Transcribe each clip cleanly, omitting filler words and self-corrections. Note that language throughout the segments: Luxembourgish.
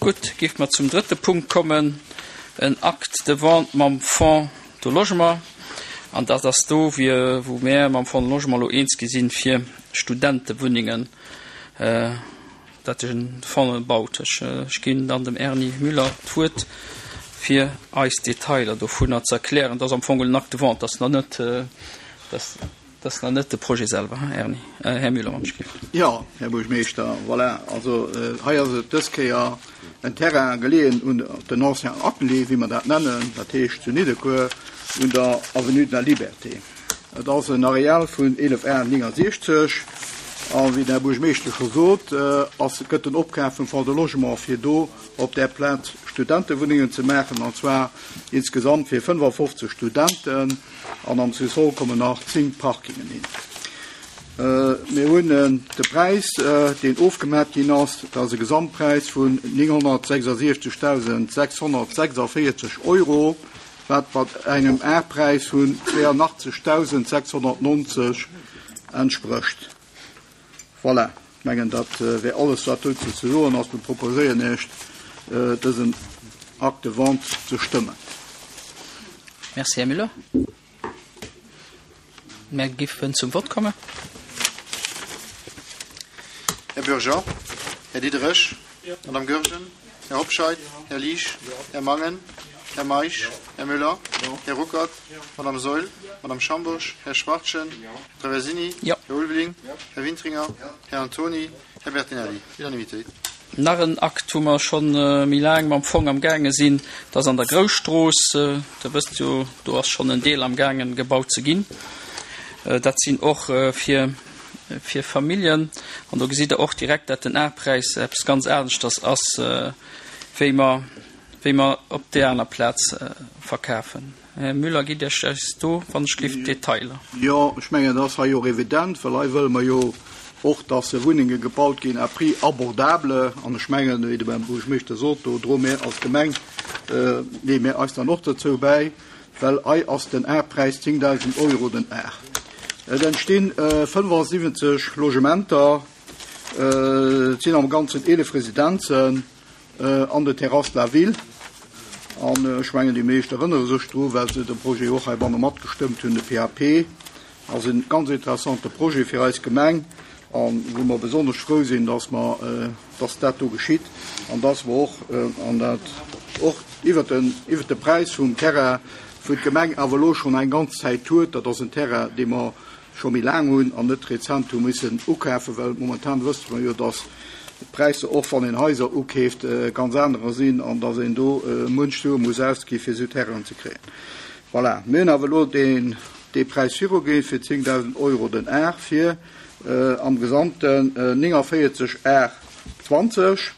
Gutt, géife mer zum drëtte Punkt kommen, en Acte de vente mam Fonds de Logement. An dat ass do, wou mär mam Fonds de Logement elo eens gi sinn, fir Studentewunnengen, dat de Fonds baut. Ech ginn dann dem Erny Müller d'Wuert, fir eis d'Detailer dovunner ze erklären. Dat ass am Fong en Acte de vente, dat ass nach net, dat ass nach net de Projet selwer, hein, Erny? Här Müller, wann ech géif. Jo, Här Buergermeeschter, voilà, also hei ass et dës Kéier en Terrain geleeën un den ancien Atelier, wéi mer dat nennen, dat heescht zu Niddekuer un der Avenue de la Liberté. Et ass en Areal vun 11 Ar 69 a wéi den Här Buergermeeschter scho sot, ass, gëtt den Opkaf vum Fonds de Logement fir do op där Plaz Studentewunnengen ze maachen, an zwar insgesamt fir 55 Studenten an am Sous-sol kommen nach 10 Parkingen hin. Mir hunn de Präis, deen ofgemat ginn ass, dat ass e Gesamtpräis vun 976.646 Euro, wat mat engem Arpräis vun 82.690 entsprécht. Voilà, ech mengen, dat wär alles, wat dozou ze soen ass. Mir proposéieren Iech, dësen Acte de vente ze stëmmen. Merci, Här Müller. Mär giffen zum Vott kommen. Här Bürger, Här Diderich, Madame Goergen, Här Hobscheit, Här Liesch, Här Mangen, Här Meisch, Här Müller, Här Ruckert, Madame Saeul, Madame Schambourg, Här Schwachtgen, Här Traversini, Här Ulveling, Här Wintringer, Här Antoni, Här Bertinelli. Unanimité. Nach en Akt, wou mer scho méi laang mam Fong am gaange sinn, dat ass an der Grousstrooss. Der wësst jo, do ass schonn en Deel am gaangen gebaut ze ginn. Dat sinn och fir, fir Familljen. An do gesitt Der och direkt, dat den A-Präis eppes ganz aneschters ass, wéi mer, wéi mer op där aner Plaz verkafen. Här Müller, gitt Iech eis do wann ech gelift d'Detailer. Jo, ech mengen, dat ass hei och evident, well hei wëlle mer jo och, dass Wunnenge gebaut ginn à prix abordable. An ech mengen, wéi de Buergermeeschter sot, do droe mir als Gemeng, leeë mir eis dann och dozou bäi, well hei ass den Arpräis 10.000 Euro den Ar. Et entstinn 75 Logementer, et sinn am Ganzen 11 Residenzen. An de Terrasses de la Ville. An ech mengen, déi meescht erënnere sech dru, well se de Projet och heibanne matgestëmmt hunn. De PAP ass e ganz interessante Projet fir eis Gemeng a wou mer besonnesch frou sinn, dass mer, dass dat do geschitt an dass mer och, an dat och iwwert den, iwwert de Präis vum Terrain, wou d'Gemeng awer elo schonn eng ganz Zäit huet, dat ass en Terrain, dee mer scho méi laang hunn an net rezent hu missen ukafen, well momentan wësst mer jo, dass d'Präisser, och wann een Haiser ukeeft, ganz anerer sinn an dass een do munch Sue muss ausgi fir esou Terrainen ze kréien. Voilà, mir hunn awer elo deen dee Präis viruginn fir 10.000 Euro den Ar fir am Gesamten 49 Ar 20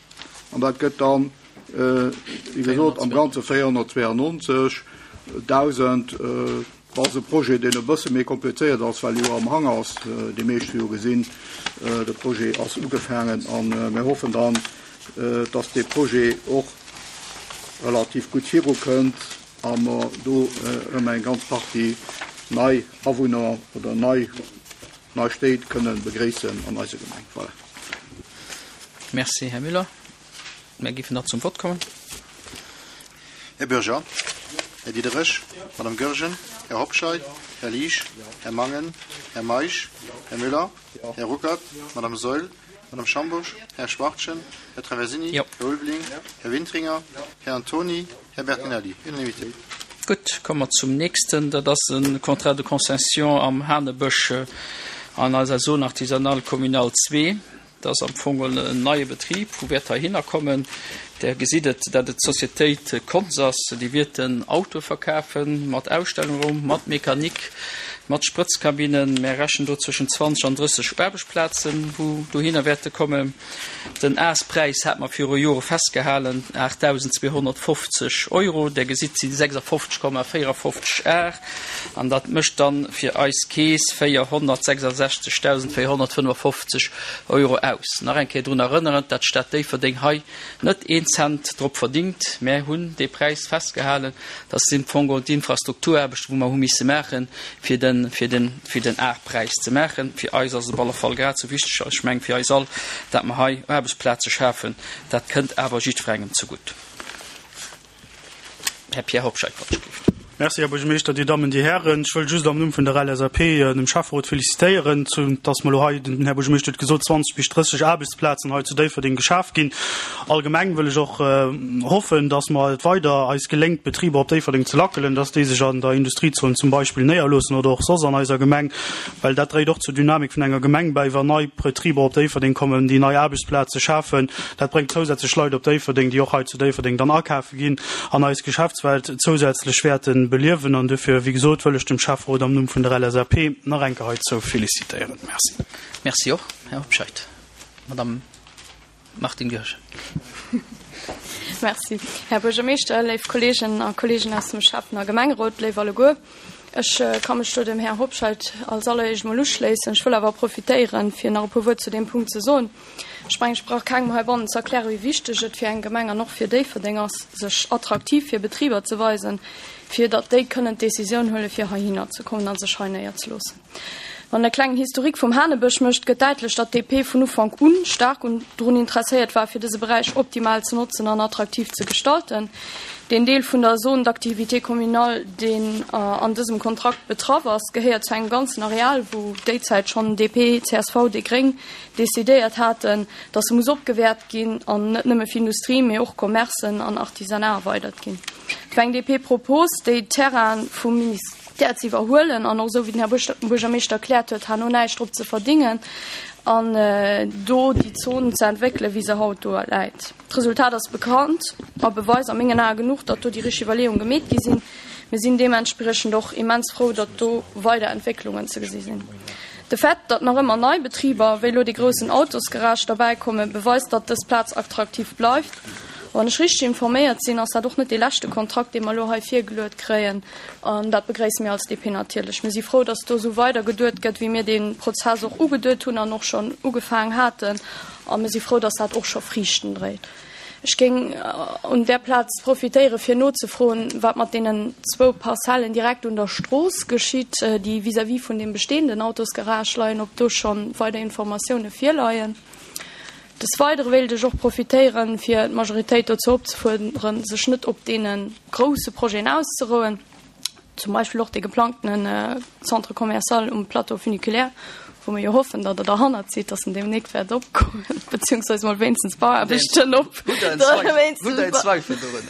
an dat gëtt dann, wéi gesot, am Ganze 492.000. Dat ass e Projet, deen e bësse méi komplizéiert ass, well e jo am Hang ass. Déi meescht hu jo gesinn, de Projet ass ugefaangen a mir hoffen dann, dass dee Projet och relativ gutt virukënnt a mer do erëm eng ganz Partie nei Awunner oder nei nei Stéit kënne begréissen an eiser Gemeng. Voilà. Merci, Här Müller. Mär géifen da zum Vott kommen. Här Bürger, Här Diderich, Madame Goergen, Här Hobscheit, Här Liesch, Här Mangen, Här Meisch, Här Müller, Här Ruckert, Madame Saeul, Madame Schambourg, Här Schwachtgen, Här Traversini, Här Ulveling, Här Wintringer, Här Antoni, Här Bertinelli. Unanimité. Gutt, komme mer zum nächsten. Dat ass e Contrat de concession am Hanebësch an eiser Zone artisanale communale 2. Dat ass am Fong en neie Betrib, wou wäert heihinner kommen. Der gesitt et, dat et d'Sociétéit Konz ass. Déi wierten Autoe verkafen, mat Ausstellungraum, mat Mechanik, mat Sprëtzkabinnen. Mär rechnen do zwëschen 20 an 30 Aarbechtsplazen, wou dohinner wäerte kommen. Den Aspräis hat mer viru Jore festgehalen, 8.250 Euro. Der gesitt, et si 56,54 Ar. An dat mécht dann fir eis Keess 466.455 Euro aus. Nach eng Kéier drun erënneren, dat d'Stad Déifferdeng hei net een Cent drop verdingt. Mär hunn dee Präis festgehalen. Dat sinn am Fong geholl d'Infrastrukturaarbechten, wou mer hu misse maachen, fir de. den, fir den, fir den A-Präis ze maachen. Fir eis ass et op alle Fall grad esou wichteg, ech mengen fir eis all, dat mer hei Aarbechtsplaze schafen. Dat kënnt awer jiddwerengem zegutt. Här Pierre Hobscheit, wann ech géif. Merci, Här Buergermeeschter, Dir Dammen, Dir Hären. Ech wëll just am Numm vun der LSAP dem Schäfferot félicitéieren, zu dass mer elo hei, den Här Buergermeeschter huet gesot, 20 bis 30 Aarbechtsplazen hei zu Déifferdeng geschaf ginn. Allgemeng wëll ech och hoffen, dass mer et weider eis geléngt, Betriber op Déifferdeng ze lackelen, dass déi sech an der Industriezon zum Beispill néierloossen oder och soss an eiser Gemeng, well dat dréit och zur Dynamik vun enger Gemeng bäi, wann nei Betriber op Déifferdeng kommen, déi nei Aarbechtsplaze schafen. Dat bréngt zousätzlech Leit op Déifferdeng, déi och hei zu Déifferdeng dann akafe ginn an eis Geschäftswelt zousätzlech wäerte beliewen. An duerfir, wéi gesot, wëll ech dem Schäfferot am Numm vun der LSAP nach eng Kéier heizou félicitéieren. Merci. Merci och, Här Hobscheit. Madame Martine Goergen. Merci, Här Buergermeeschter, léif Kolleegen a Kolleegen aus dem Schäffen a Gemengerot, léif alleguer. Ech ka mech do dem Här Hobscheit als alleréischt mol uschléissen. Ech wëll awer profitéieren, fir nach e puer Wuert zu deem Punkt ze soen. Ech mengen, ech brauch kengem heibannen ze erklären, wéi wichteg et fir eng Gemeng an och fir Déifferdeng ass, sech attraktiv fir Betriber ze weisen, fir datt déi kënnen d'Decisioun huelen, fir heihinner ze kommen a sech hei néierzeloossen. Wann e klengen Historique vum Hanebësch mécht, gëtt däitlech, datt d'DP vun Ufank u staark un drun interesséiert war, fir dëse Beräich optimal ze notzen an attraktiv ze gestalten. Deen Deel vun der Zone d'activité communale, deen an dësem Kontrakt betraff ass, gehéiert zu engem ganzen Areal, wou déizäit schonn DP, csv, déi gréng decidéiert haten, datt se muss opgewäert ginn an net nëmme fir Industrie, mee och Commercen an Artisanat erweidert ginn. Et war eng DP-Propos, déi d'Terraine vum Ministère ze iwwerhuelen an och, esou wéi den Här Buergermeeschter erkläert huet, herno näischt drop ze verdingen an do déi Zon ze entwéckelen, wéi se haut do läit. D'Resultat ass bekannt a Beweis a mengen Ae genuch, datt do déi richteg Iwwerleeung gemeet gi sinn. Mir sinn deementspriechend och immens frou, datt do weider Entwécklungen ze gesi sinn. De Fait, datt nach ëmmer nei Betriber, wéi elo dee groussen Autosgarage, derbäikommen, beweist, datt dës Plaz attraktiv bleift. Wann ech richteg informéiert sinn, ass dat och net dee leschte Kontrakt, dee mer elo hei virgeluet kréien. An dat begréisse mir als DP natierlech. Mir si frou, datt do esou weider geduet gëtt, wéi mir dee Prozess och ugeduet hunn an och schonn ugefaangen haten. A mir si frou, datt dat och scho Friichten dréit. Ech géing un där Plaz profitéieren, fir nozefroen, wat mat deenen zwou Parzellen direkt un der Strooss geschitt, déi vis-à-vis vun deem bestehenden Autosgarage leien, ob do scho weider Informatioune virleien. Des Weidere wéilt ech och profitéieren, fir d'Majoritéit dozou opzefuerderen, sech net op deene grousse Projeten auszerouen, zum Beispill och dee geplangtene Centre commercial um Plateau funiculaire, wou mir jo hoffen, datt Der derhannert sidd, datt en deemnächst wäert opgoen, beziehungsweise mol wéinstens d'Bauaarbechten op. Hutt Der en Zweifel dorun?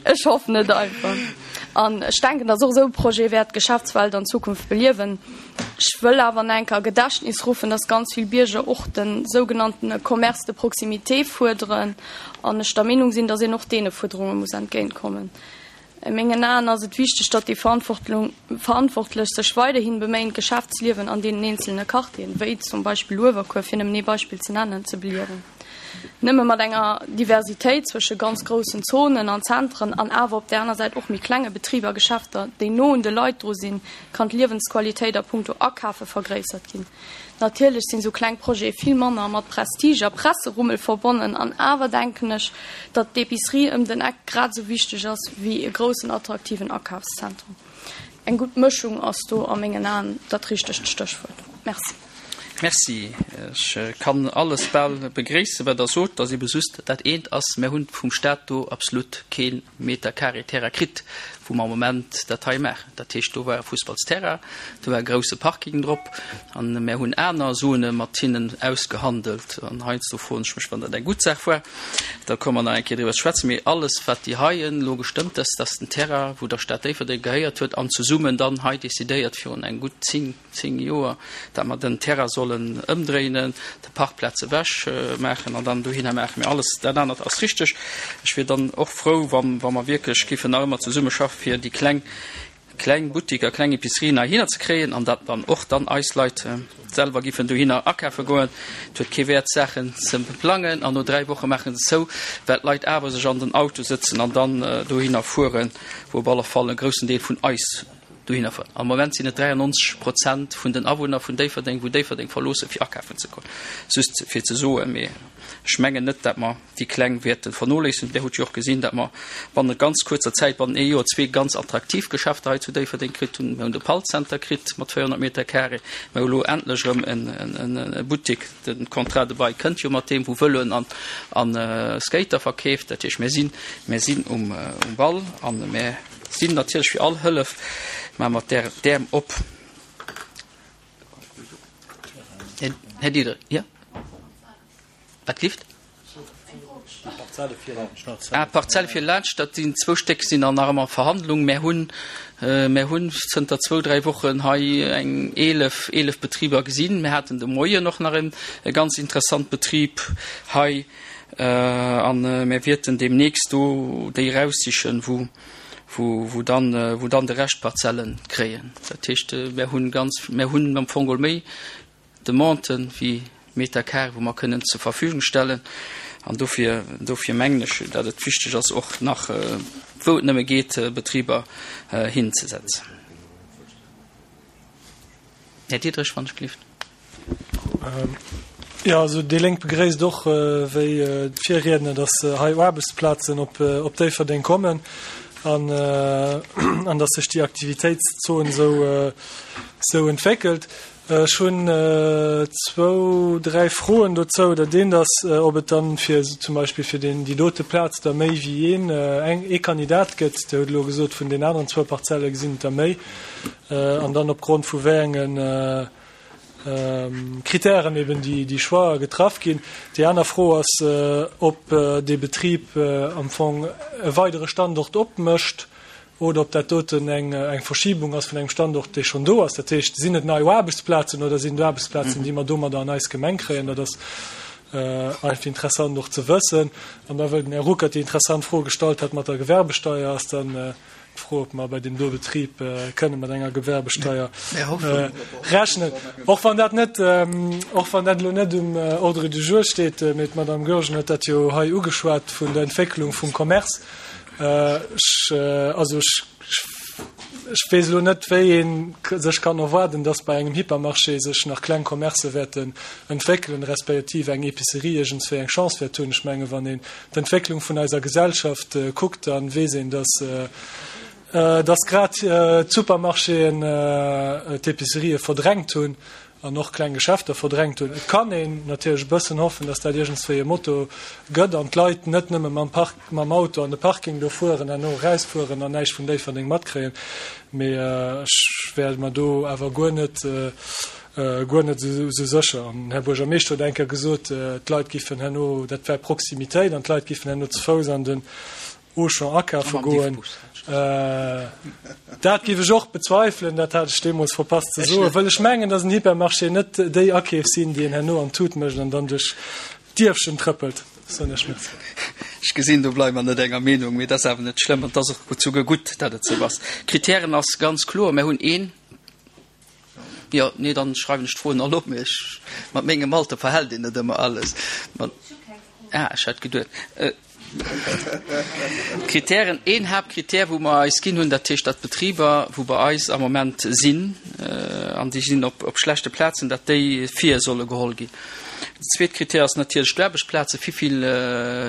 Ech hoffen et einfach. An ech denken, datt och esou e Projet wäert d'Geschäftswelt an Zukunft beliewen. Ech wëll awer nach eng Kéier a Gedächtnis ruffen, datt ganz vill Bierger och de sougenannte Commerce de proximité fuerderen an ech der Meenung sinn, datt een och deene Fuerderunge muss entgéintkommen. A mengen Aen ass et wichteg, datt déi Verantwortlech sech weiderhi beméien, d'Geschäftsliewen an deenen eenzelne Quartieren, wéi zum Beispill Uewerkuer, fir nëmmen ee Beispill ze nennen, ze beliewen. Nëmme mat enger Diversitéit zwësche ganz groussen Zonen an Zentren an awer op där aner Säit och méi klenge Betriber a Geschäfter, déi no un de Leit dru sinn, kann d'Liewensqualitéit a punkto Akafe vergréissert ginn. Natierlech sinn esou kleng Projete vill manner mat Prestige a Presserummel verbonnen, an awer denken ech, datt d'Epicerie ëm den Eck grad esou wichteg ass wéi e groussen attraktiven Akafszentrum. Eng gutt Mëschung ass do a mengen Aen dat richtegt Stéchwuert. Merci. Merci. Ech kann alles bal begréissen, wat Der sot. Et ass ebe just dat eent ass, Mir hunn vum Stat do absolut kee Meter carré Terrain kritt, wou mer am Moment dat hei maachen. Dat heescht, do war e Fussballsterrain, do war e grousse Parking drop an mär hunn aner Zone mat hinnen ausgehandelt. An heiansdo froen ech mech, wann dat eng gutt Saach war. Da komme mer nach eng Kéier driwwer ze schwätzen. Mee alles, wat déi hei elo gestëmmt ass, dat ass den Terrain, wou der Stad Déifferdeng gehéiert huet an zesummen dann hei decidéiert virun eng gutt 10, 10 Joer, dat mer den Terrain sollen ëmdréinen, de Parkplaz ewech maachen an dann dohinner maachen. Mee alles dat anert ass richteg. Ech wier dann och frou, wa wa mer wierklech géifen nach ëmmer zesummeschaffen, fir déi kleng, kleng Buttiker, kleng Epicerien heihinner ze kréien an dat dann och dann eis Leit selwer giffen dohinner akafe goen. Et huet kee Wäert, Saachen ze plangen an no 3 Woche maache se zou, well d'Leit awer sech an den Auto sëtzen an dann dohinner fueren, wou op alle Fall e groussen Deel vun eis. Dohinner fueren. Am Moment sinn et 93 Prozent vun den Awunner vun Déifferdeng, wou Déifferdeng verloossen, fir akafen ze goen. Just fir ze soen. Mee ech mengen net, dat mer déi Kleng wäerte vernoléissen. Där hutt jo och gesinn, dat mer bannent ganz kuerzer Zäit, bannent ee Joer, zwee ganz attraktiv Geschäfter hei zu Déifferdeng kritt hunn. Mir hunn de Pall-Center kritt mat 400 Meter carré. Mir hu lo endlech erëm e Buttek, de Contrat de bail kënnt jo mat deem, wou Vëloen an Skater verkeeft. Dat heescht, mir sinn, mir sinn um Ball a mir sinn natierlech fir all Hëllef, maache mer d'Äerm op. Här Diederich, jo? Wat gift? Ah, d'Parzelle fir laanscht, dat sinn zwou Stéck, sinn an nach ëmmer Verhandlung. Mär hunn, mär hunn zënter zwou, dräi Wochen hei eng 11, 11 Betriber gesinn. Mär haten de Moien och nach en e ganz interessant Betrib hei an mär wierten deemnächst do déi eraussichen, wou, wou, wou dann, wou dann de Rescht Parzelle kréien. Dat heescht, mär hunn ganz, mär hunn am Fong geholl méi Demanden wéi Meter carré, wou mer kënnen zur Verfügung stellen. An dofir, dofir mengen ech, datt et wichteg ass, och nach, wou et nëmme geet, Betriber hinzesetzen. Här Diderich, wann ech gelift. Jo, also déi Lénk begréisst och, wéi d'Virriedner, datt hei Aarbechtsplazen op Déifferdeng kommen an, an datt sech déi Aktivitéitszon esou entwéckelt. Ech hunn zwou, dräi Froen dozou. Dat eent ass, ob et dann fir zum Beispill fir deen, déi dote Plaz da méi wéi een, eng, ee Kandidat gëtt. Dir hutt elo gesot, vun den aneren zwou Parzelle gesinn et der méi. An dann opgrond vu wéi enge Kritären eben déi, déi Choixë getraff ginn. Déi aner Fro ass, ob dee Betrib am Fong e weidere Standort opmécht oder ob dat doten eng Verschiebung ass vun engem Standort, dee schonn do ass. Dat heescht, sinn et nei Aarbechtsplazen oder sinn et Aarbechtsplazen, déi mer domadder an eis Gemeng kréien? Dat ass einfach interessant och ze wëssen. An da, wëll den Här Ruckert déi interessant Fro gestallt hat mat der Gewerbesteier, ass dann d'Fro, ob mer bei deem do Betrib kënne mat enger Gewerbesteier rechnen. Och wann dat net, och wann dat elo net um Ordre du jour steet, mee d'Madame Goergen huet dat jo hei ugeschwat vun der Entwécklung vum Commerce. Ech, also ech, ech weess elo net, wéi ee sech kann erwaarden, dass bei engem Hypermarché sech nach kleng Commercë wäerten entwéckelen, respektiv eng Épicerie iergendswéi eng Chance wäert hunn. Ech menge wann een d'Entwécklung vun eiser Gesellschaft kuckt, da weess een, dass, dass grad d'Supermarchéen d'Épicerië verdrängt hunn an och kleng Geschäfter verdrängt hunn. Et kann een natierlech e bëssen hoffen, dass dat iergendswéi e Motto gëtt an d'Leit net nëmme mam Park, mam Auto an de Parking do fueren, herno erausfueren an näischt vun Déifferdeng matkréien. Mee ech wär mer do awer guer net, guer net esou sécher. An den Här Buergermeeschter huet eng Kéier gesot, d'Leit giffen herno, dat wär Proximitéit an d'Leit giffen herno ze Fouss an den Auchan akafe goen. Dat géif ech och bezweifelen, dat hat ech deemools verpasst ze soen, wëll ech mengen, datt en Hypermarché net déi Akeef sinn, déi een herno an d'Tut mécht an dann duerch d'Dierfchen trëppelt, soen ech Merci. Ech gesinn, do bleiwe mer net enger Meenung, mee dat ass awer net schlëmm an et ass och souguer gutt, datt et esou ass. Kritären ass ganz kloer, Mir hunn een, jo, nee, dann schreiwen ech d'Froen all op, mee ech, mat mengem Alter verhält een net ëmmer alles. Ah, ech hat geduet. Kritären, een Haaptkritär, wou mer eis ginn hunn, dat heescht, datt d'Betriber, wou bei eis am Moment sinn, an déi sinn op schlechte Plazen, datt déi vir solle geholl ginn. Den zweet Kritär ass natierlech d'Aarbechtsplazen, Wivill,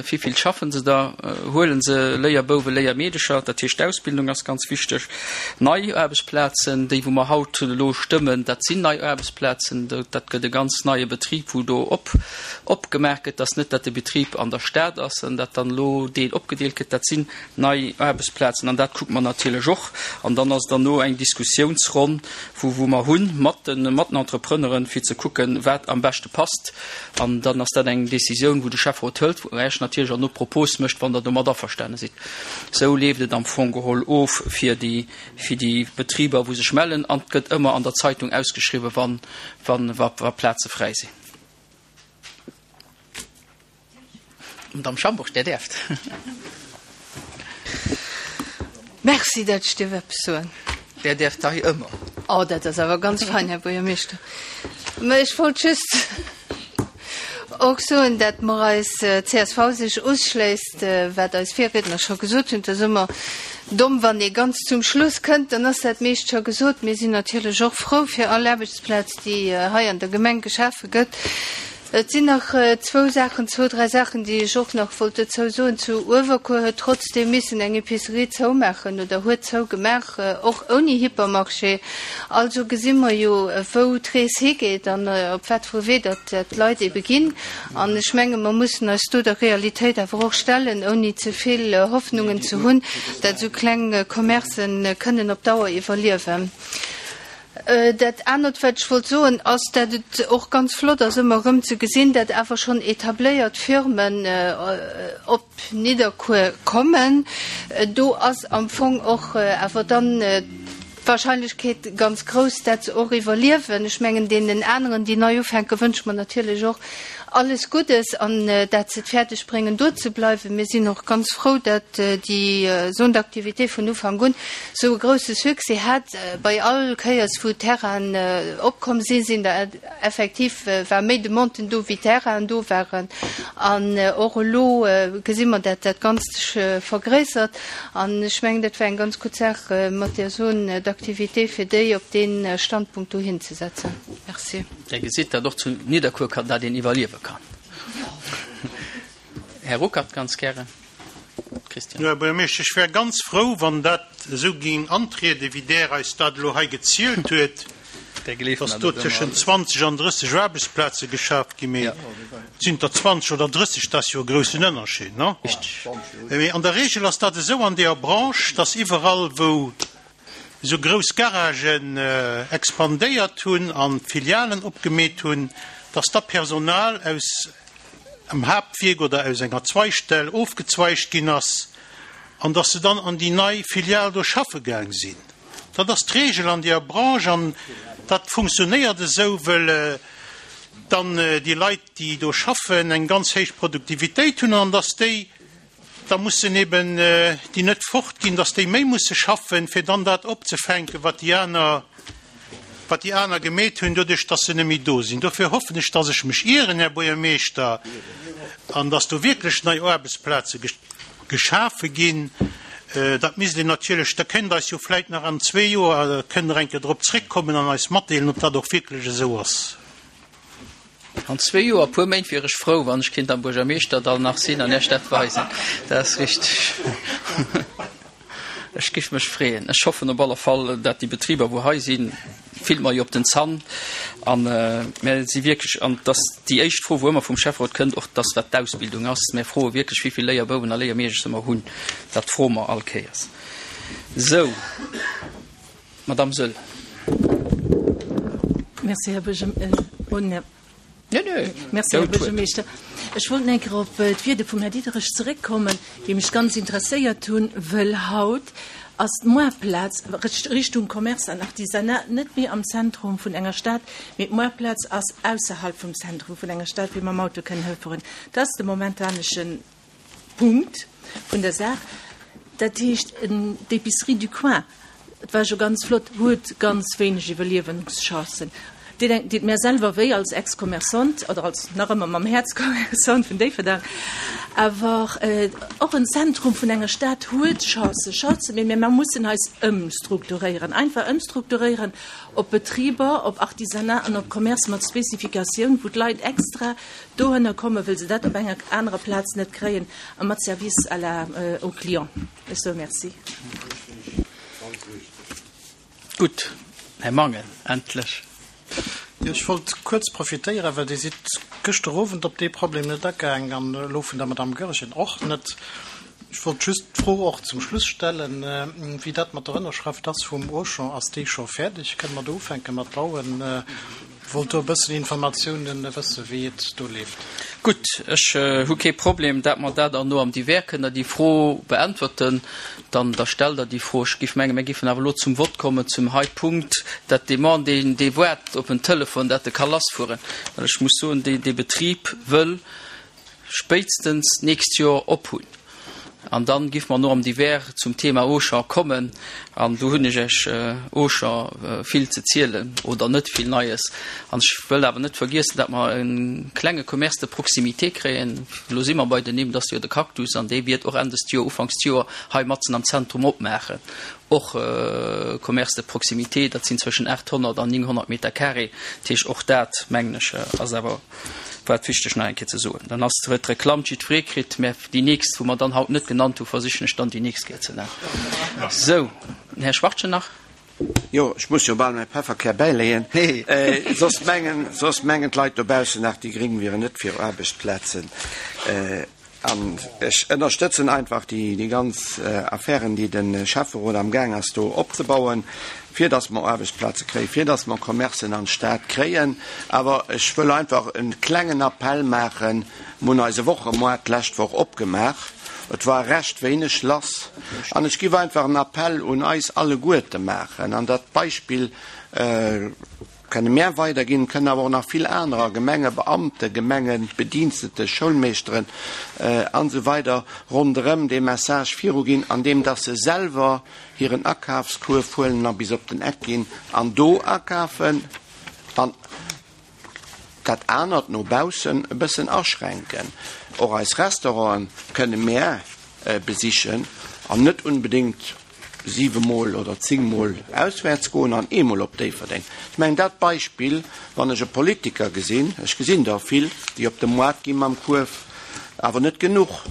wivill schaffen se da? Huele se Léierbouwen, Léiermeedecher? Dat heescht, d'Ausbildung ass ganz wichteg. Nei Aarbechtsplazen, déi wou mer haut elo stëmmen, dat sinn nei Aarbechtsplazen. Dat gëtt e ganz neie Betrib, wou do op Opgemaach gëtt, dass net dat de Betrib an der Stad ass an dat dann elo deel opgedeelt gëtt. Dat sinn nei Aarbechtsplazen an dat kucke mer natierlech och. An dann ass et derno eng Diskussiounsronn, wou wou mer hunn mat de mat den Entrepreneuren, fir ze kucken, wat am beschte passt. An dann ass dat eng Décisioun, wou de Schäfferot hëlt, wou Iech natierlech och no Propos mécht, wann Der domat averstane sidd. Esou leeft et am Fong geholl of fir déi fir déi Betriber, wou sech mellen. An et gëtt ëmmer an der Zeitung ausgeschriwwen, wann wann wa Plaze fräi sinn. Madamm Schambourg, Där däerft. Merci, datt ech dierf eppes soen. Där däerft hei ëmmer. Oh, dat ass awer ganz fein, Här Buergermeeschter. Mä ech wollt just. och soen, dat mer eis csv sech usschléisst, wat eis Virriedner scho gesot hunn. Et ass ëmmer domm, wann ee ganz zum Schluss kënnt, dann ass dat meescht scho gesot. Mir sinn natierlech och frou fir all Aarbechtsplaz, déi hei an der Gemeng geschafe gëtt. Et sinn nach zwou Saachen, zwou, dräi Saachen, déi ech och nach wollt dozou soen. Zu Uewerkuer huet trotzdeem missen eng Epicerie zoumaachen oder huet zougemaach, och ouni Hypermarché. Also gesi mer jo, wou d'Rees higeet an op wat fir e Wee datt d'Leit ebe ginn. An ech menge mer mussen eis do der Realitéit awer och stellen, ouni ze vill Hoffnungen ze hunn, datt esou kleng Commercen kënnen op Dauer iwwerliewen. Dat anert, wat ech wollt soen, ass, dat et och ganz flott ass, ëmmer erëm ze gesinn, dat awer schonn etabléiert Firmen op Nidderkuer kommen. Do ass am Fong och awer dann d'Wahrscheinlechkeet ganz grouss, dat se och iwwerliewen. Ech mengen, deenen aneren, déi nei ufänken, wënsche mer natierlech och alles Guddes an dat se et fäerdeg bréngen, do ze bleiwen. Mir sinn och ganz frou, dat déi Zone d'activité vun Ufank un esou e grouse Succès hat. Bei all Kéiers wou Terrainen opkomm sinn, sinn der effektiv, war méi Demanden do wéi Terrainen do waren. An och elo gesi mer, dat dat Ganzt sech vergréissert. An ech mengen, dat war eng ganz gutt Saach mat där Zone d'activité, fir déi op dee Standpunkt dohin ze setzen. Merci. Där gesitt, datt och zu Nidderkuer kann, dat een iwwerliewe kann. Här Ruckert, ganz gären. Christian. Jo, Här Buergermeeschter, ech wär ganz frou, wann dat esou géing antrieden, wéi Der eis dat elo hei gezielt huet, dass do tëschent 20 an 30 Aarbechtsplaze geschaaft ginn. Mee et sinn der 20 oder 30, dat ass jo e groussen Ënnerscheed, non? Mee an der Regel ass dat esou an deeër Branche, dass iwwerall, wou esou grouss Garagen expandéiert hunn an Filialen opgemeet hunn, dass da Personal aus em Haaptwierk oder aus enger Zweigstell ofgezweigt ginn ass an dass se dann an déi nei Filial do schaffe gaang sinn. Dat ass d'Regel an deeër Branche an dat funktionéiert esou, wëll dann déi Leit, déi do schaffen, eng ganz héich Produktivitéit hunn an dass déi da mussen eben déi net fortginn, dass déi méi musse schaffen, fir dann dat opzefänken, wat déi aner, wat déi aner gemeet hunn, doduerch dass se net méi do sinn. Dofir hoffen ech, dass ech mech ieren, Här Buergermeeschter, an dass do wierklech nei Aarbechtsplaze geschafe ginn. Dat misst een natierlech, da kéint eis jo vläit nach an zwee Joer, kënnt Der eng Kéier drop zréckkommen an eis matdeelen, ob dat och wierklech esou ass. An zwee Joer, e puer Méint wier ech frou, wann ech kinnt am Buergermeeschterdall nach sinn an Iech dat weisen. Dat ass richteg. Ech giff mech freeën. Ech hoffen op alle Fall, dat déi Betriber, wou hei sinn, fillt mer jo op den Zann. An mär si wierklech, an et ass déi éischt Fro, wou ëmmer vum Schäfferot kënnt, och dass wat d'Ausbildung ass. Mär froe wierklech, wéi vill Léierbouwen a Léiermeedecher mer hunn. Dat froe mer all Kéiers. Sou. Madame Saeul. Merci, Här Buergermeeschter. Ech wollt eng Kéier op d'Wierde vum Här Diderich zeréckkommen, déi mech ganz interesséiert hunn, wëll haut ass d'Moartplaz Richtung Commerce an Artisanat net méi am Zentrum vun enger Stad, mee d'Moartplaz ass ausserhalb vum Zentrum vun enger Stad, wéi mer mam Auto kënnen hëfueren. Dat ass de momentanesche Punkt vun der Saach. Dat heescht, d'Épicerie du coin, et war jo ganz flott, huet ganz wéineg Iwwerliewenschancen. Deet deet mär selwer wéi als Ex-Commerçante oder als nach ëmmer mam Häerz Commerçante vun Déifferdang. Awer och en Zentrum vun enger Stad huet Chancen, Chancen, mee mir mussen eis ëmstrukturéieren, einfach ëmstrukturéieren op Betriber, op Artisanat an op Commerce mat Spezifikatioun, wou d'Leit extra Dohënner kommen, wëll se dat op enger anerer Plaz net kréien, a mat Service à la, au client. Ech soe Merci. Gutt, Här Mangen, endlech. Jo, ech wollt kuerz profitéieren, well Dir sidd gëschter Owend op dee Problem net agaang an elo vun der Madame Goergen och net. Ech wollt just d'Fro och zum Schluss stellen, wéi dat mat der Ënnerschrëft ass vum Auchan. Ass déi scho fäerdeg? Kënne mer do ufänke mat bauen? Wollt do e bëssen Informatiounen wëssen, wéi et do leeft. Gutt, ech hu kee Problem, dat mer dat erno am Divers kënnt Der déi Fro beäntwerten. Dann da stellt Der déi Fro. Ech géif mengen, mir géifen awer elo zum Vott kommen zum hei Punkt, dat Demande, deen dee waart op en Telefon, dat e ka lassfueren. Well ech muss soen, dee dee Betrib wëll spéitstens d'nächst Joer ophunn. An dann giff mer no am Divers zum Thema Auchan kommen. An do hunn ech Iech Auchan vill ze zielen oder net vill Neies. An ech wëll awer net vergiessen, dat mer e klenge Commerce de proximité kréien. Elo si mer bei den Nimm, dat ass jo de Cactus, an dee wiert och Enn dëst Joer, Ufanks d'Joer hei matzen am Zentrum opmaachen. Och Commerce de proximité, dat sinn zwëschen 800 an 900 Meter carré. Dat heescht, och dat, mengen ech, ass awer wat wichteg nach eng Kéier ze soen. Dann ass, huet d'Reklamm jiddweree kritt, mä déi nächst, wou mer dann haut net genannt hunn, versichen ech dann déi nächst Kéier ze nennen. Sou, den Här Schwachtgen nach. Jo, ech muss jo bal mäi Pefferkär bäileeën, soss mengen, soss mengen d'Leit dobaussen nach, déi Gréng wieren net fir Aarbechtsplazen. An ech ënnerstëtzen einfach déi, déi ganz Affären, déi de Schäfferot amgaang ass do opzebauen, fir datt mer Aarbechtsplaze kréien, fir datt mer Commercen an d'Stad kréien. Awer ech wëll einfach e klengen Appell maachen, Mir hunn eise Wochemoart d'lescht Woch opgemaach. Et war recht wéineg lass. An ech giff einfach en Appell un eis alleguerte maachen, an dat Beispill kënne mär weiderginn, kënnen awer och nach vill anerer, Gemengebeamte, Gemengebedienstete, Schoulmeeschteren an esou weider ronderëm dee Message viruginn, andeem dass se selwer hiren Akafskuerf huelen a bis op den Eck ginn an do akafen an dat anert no baussen e bëssen aschränken. Och eis Restauranten kënne mär besichen an net unbedéngt siwemol oder zéngmol auswäerts goen an eemol op Déifferdeng. Ech mengen dat Beispill, wann ech e Politiker gesinn, ech gesinn der vill, déi op de Moart gi mam Kuerf, awer net genuch.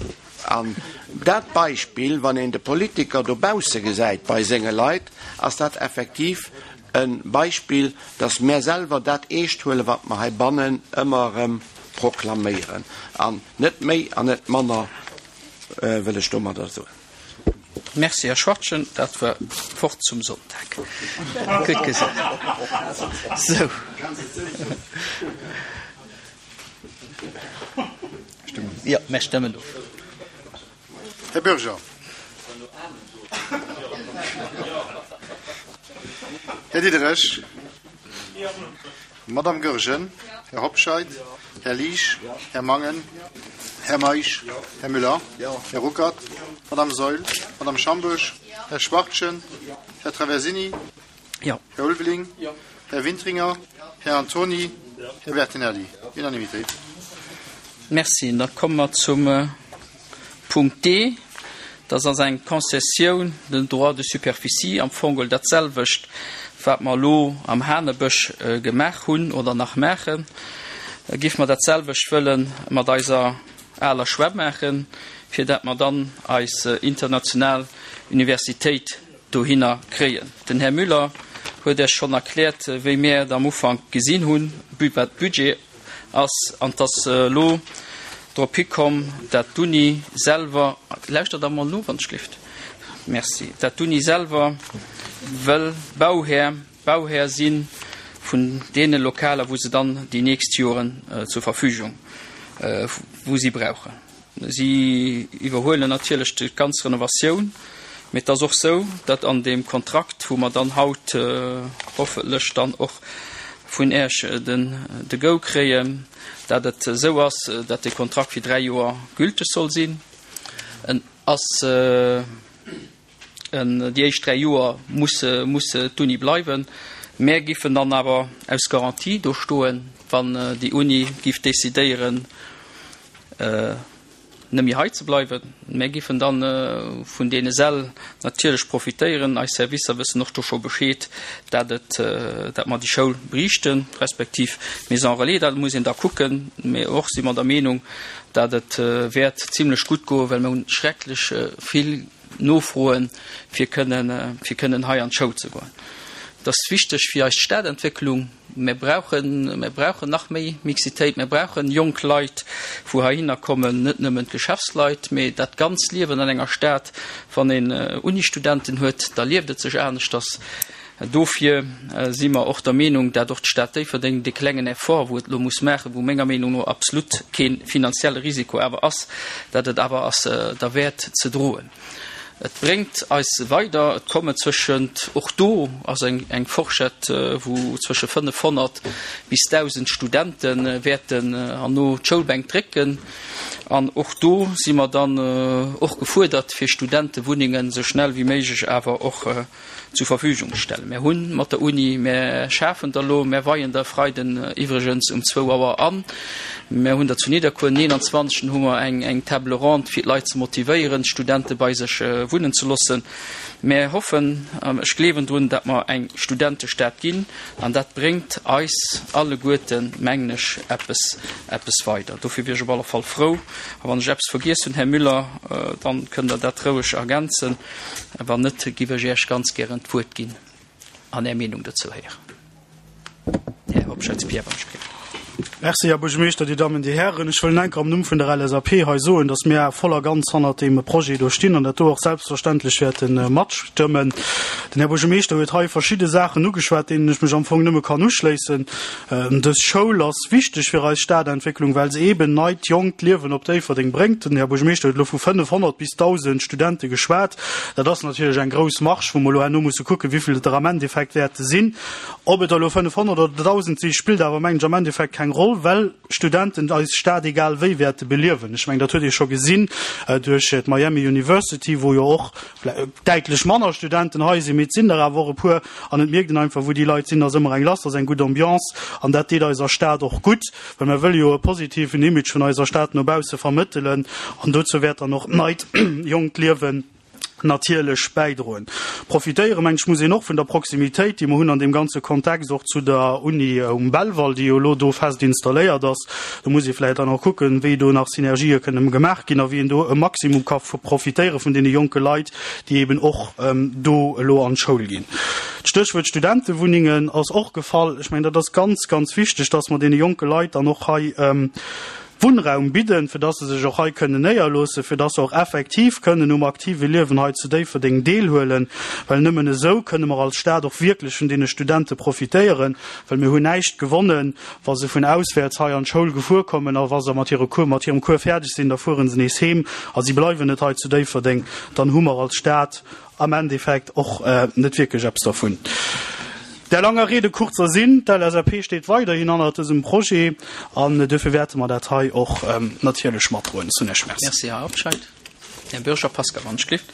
An dat Beispill, wann een de Politiker dobausse gesäit bei senge Leit, ass dat effektiv e Beispill, dass mär selwer dat eescht huelen, wat mer heibannen ëmmer erëm proklaméieren. An net méi an net manner wëll ech domadder soen. Merci, Här Schwachtgen, dat war d'Wort zum Sonntag. Gutt gesot. Sou. Jo, mär stëmmen of. Här Bürger. Här Diderich. Madame Goergen. Här Hobscheit. Här Liesch. Här Mangen. Här Meisch. Här Müller. Här Ruckert. Madame Saeul. Madame Schambourg. Här Schwachtgen. Här Traversini. Här Ulveling. Här Wintringer. Här Antony. Här Bertinelli. Unanimitéit. Merci. Da komme mer zum Punkt D. Dat ass eng Concessioun de droit de superficie, am Fong geholl dat selwecht, wat mer elo am Hanebësch gemaach hunn oder nach maachen. Géife mer dat selwecht wëlle mat eiser aler Schwämm maachen, fir dat mer dann eis international Universitéit dohinner kréien. Den Här Müller huet Iech schonn erkläert, wéi mir et am Ufank gesinn hunn, wat Budget ass, an 't ass elo drop hikomm, dat d'Uni selwer, lauschtert der emol no, wann ech gelift, merci, dat d'Uni selwer wëll Bauhär, Bauhär si vun deene Lokaler, wou se dann déi nächst Joren zur Verfügung, wou si brauchen. Si iwwerhuelen natierlech déi ganz Renovatioun, mee et ass och sou, datt an deem Kontrakt, wou mer dann haut hoffentlech dann och vun Äech den de Go kréien, datt et esou ass, datt dee Kontrakt fir 3 Joer gülteg soll sinn. En ass en, déi éischt 3 Joer muss muss d'Uni bleiwen. Mär giffen dann awer aus Garantie do stoen, wann déi Uni giff decidéieren, net méi hei ze bleiwen. Mär giffen dann vun deene Säll natierlech profitéieren. Eis Servicer wëssen och do scho Bescheed, dat et, dat mer déi Schoul briichten, respektiv d'Maison relais. Dat muss een da kucken. Mee och si mer der Meenung, dat et wäert zimlech gutt goen, well mer hunn schrecklech vill Nofroen, fir kënnen, fir kënnen hei an d'Schoul ze goen. Et ass wichteg fir eis Stadentwécklung. Mir brauchen, mir brauchen nach méi Mixitéit. Mir brauchen jonk Leit, wou heihinner kommen, net nëmmen d'Geschäftsleit, mee dat ganz Liewen an enger Stad. Wann een Unistudenten huet, da lieft et sech aneschters. Dofir si mer och der Meenung, dat och d'Stad Déifferdeng dee klengen Effort, wou et elo muss maachen, wou menger Meenung no absolut kee finanzielle Risiko awer ass, dat et awer ass derwäert ze droen. Et bréngt eis weider. Et kommen zwëschent, och do ass eng Forschett, wou zwësche 500 bis 1.000 Studente wäerten herno d'Schoulbänk drécken. An och do si mer dann och gefuerdert, fir Studentewunnengen esou schnell wéi méiglech awer och zur Verfügung ze stellen. Mär hu mat der Uni, mär schafen der elo, mär weien der e Freiden iwwregens um zwou Auer an. Mär hunn der zu Nidderkuer, den 21. hu mer eng Table ronde, fir d'Leit ze motivéieren, d'Studente bei sech wunnen ze loossen. Mär hoffen, an ech gleewen drun, datt mer eng Studentestad ginn, an dat bréngt eis alleguerten, mengen ech, eppes, eppes weider. Dofir wier ech op alle Fall frou. A wann ech eppes vergiess hunn, Här Müller, dann kënnt Der dat roueg ergänzen. Wann net, giff ech Iech ganz gären d'Wuert ginn an Är Meenung dozou héieren. Här Hobscheit, Pierre, wann ech gleewen. Merci, Här Buergermeeschter, Dir Dammen, Dir Hären. Ech wëll enker am Numm vun der LSAP hei soen, dass mir voll a ganz hannert deem Projet do stinn an dat do och selbstverständlech wäerte matstëmmen. Den Här Buergermeeschter huet hei verschidde Saachen ugeschwat, deenen ech mech am Fong nëmme kann uschléissen. Dës Schoul ass wichteg fir eis Stadentwécklung, well se eeben neit, jonkt Liewen op Déifferdeng bréngt. Den Här Buergermeeschter huet elo vu 500 bis 1.000 Studente geschwat. Dat ass natierlech eng grouss Marge, wou mer elo herno musse kucken, wéi vill et der am Endeffekt wäerte sinn. Ob et der elo 500 oder 1.000 si spillt awer, mengen ech, am Endeffekt keng Roll, well Studenten eis Stad egal wéi wäerte beliewen. Ech mengen, dat huet ee scho gesinn duerch d'Miami University, wou jo och däitlech manner Studenten hei sinn, mee et sinn der awer och e puer. An et mierkt een einfach, wou déi Leit sinn, ass ëmmer eng lass, ass eng gutt Ambiance an dat deet eiser Stad och gutt, well mer wëlle jo e positiven Image vun eiser Stad no bausse vermëttelen an dozou wäert dann och d'neit jonkt Liewen natierlech bäidroen. Profitéieren, mengen ech, muss een och vun der Proximitéit, déi mer hunn an deem ganze Kontext och zu der Uni um Belval, déi jo elo do fest installéiert ass. Do muss ee vläicht dann och kucken, wéi do nach Synergië kënnen gemaach ginn a wéi een do e Maximum ka profitéiere vun deene jonke Leit, déi eben och do elo an d'Schoul ginn. D'Stéchwuert Studentewunnengen ass och gefall. Ech mengen, dat ass ganz, ganz wichteg, dass mer deene jonke Leit dann och hei Wunnraum bidden, fir dass se sech och hei kënnen néierloossen, fir dass se och effektiv kënnen um aktive Liewen hei zu Déifferdeng deelhuelen, well nëmmen esou kënne mer als Stad och wierklech vun deene Studente profitéieren, well mir hunn näischt gewonnen, wa se vun auswäerts hei an d'Schoul gefuer kommen a wa se mat hire Cours, mat hirem Cours fäerdeg sinn, da fuere se nees heem a si bleiwen net hei zu Déifferdeng. Dann hu mer als Stad am Endeffekt och net wierklech eppes dervun. Der langer Rede kurzer Sinn, D'LSAP steet weiderhin hannert dësem Projet an duerfir wäerte mer dat hei och natierlech matdroen. Ech soen Iech Merci. Merci, Här Hobscheit. Här Bürger Pascal, wann ech gelift.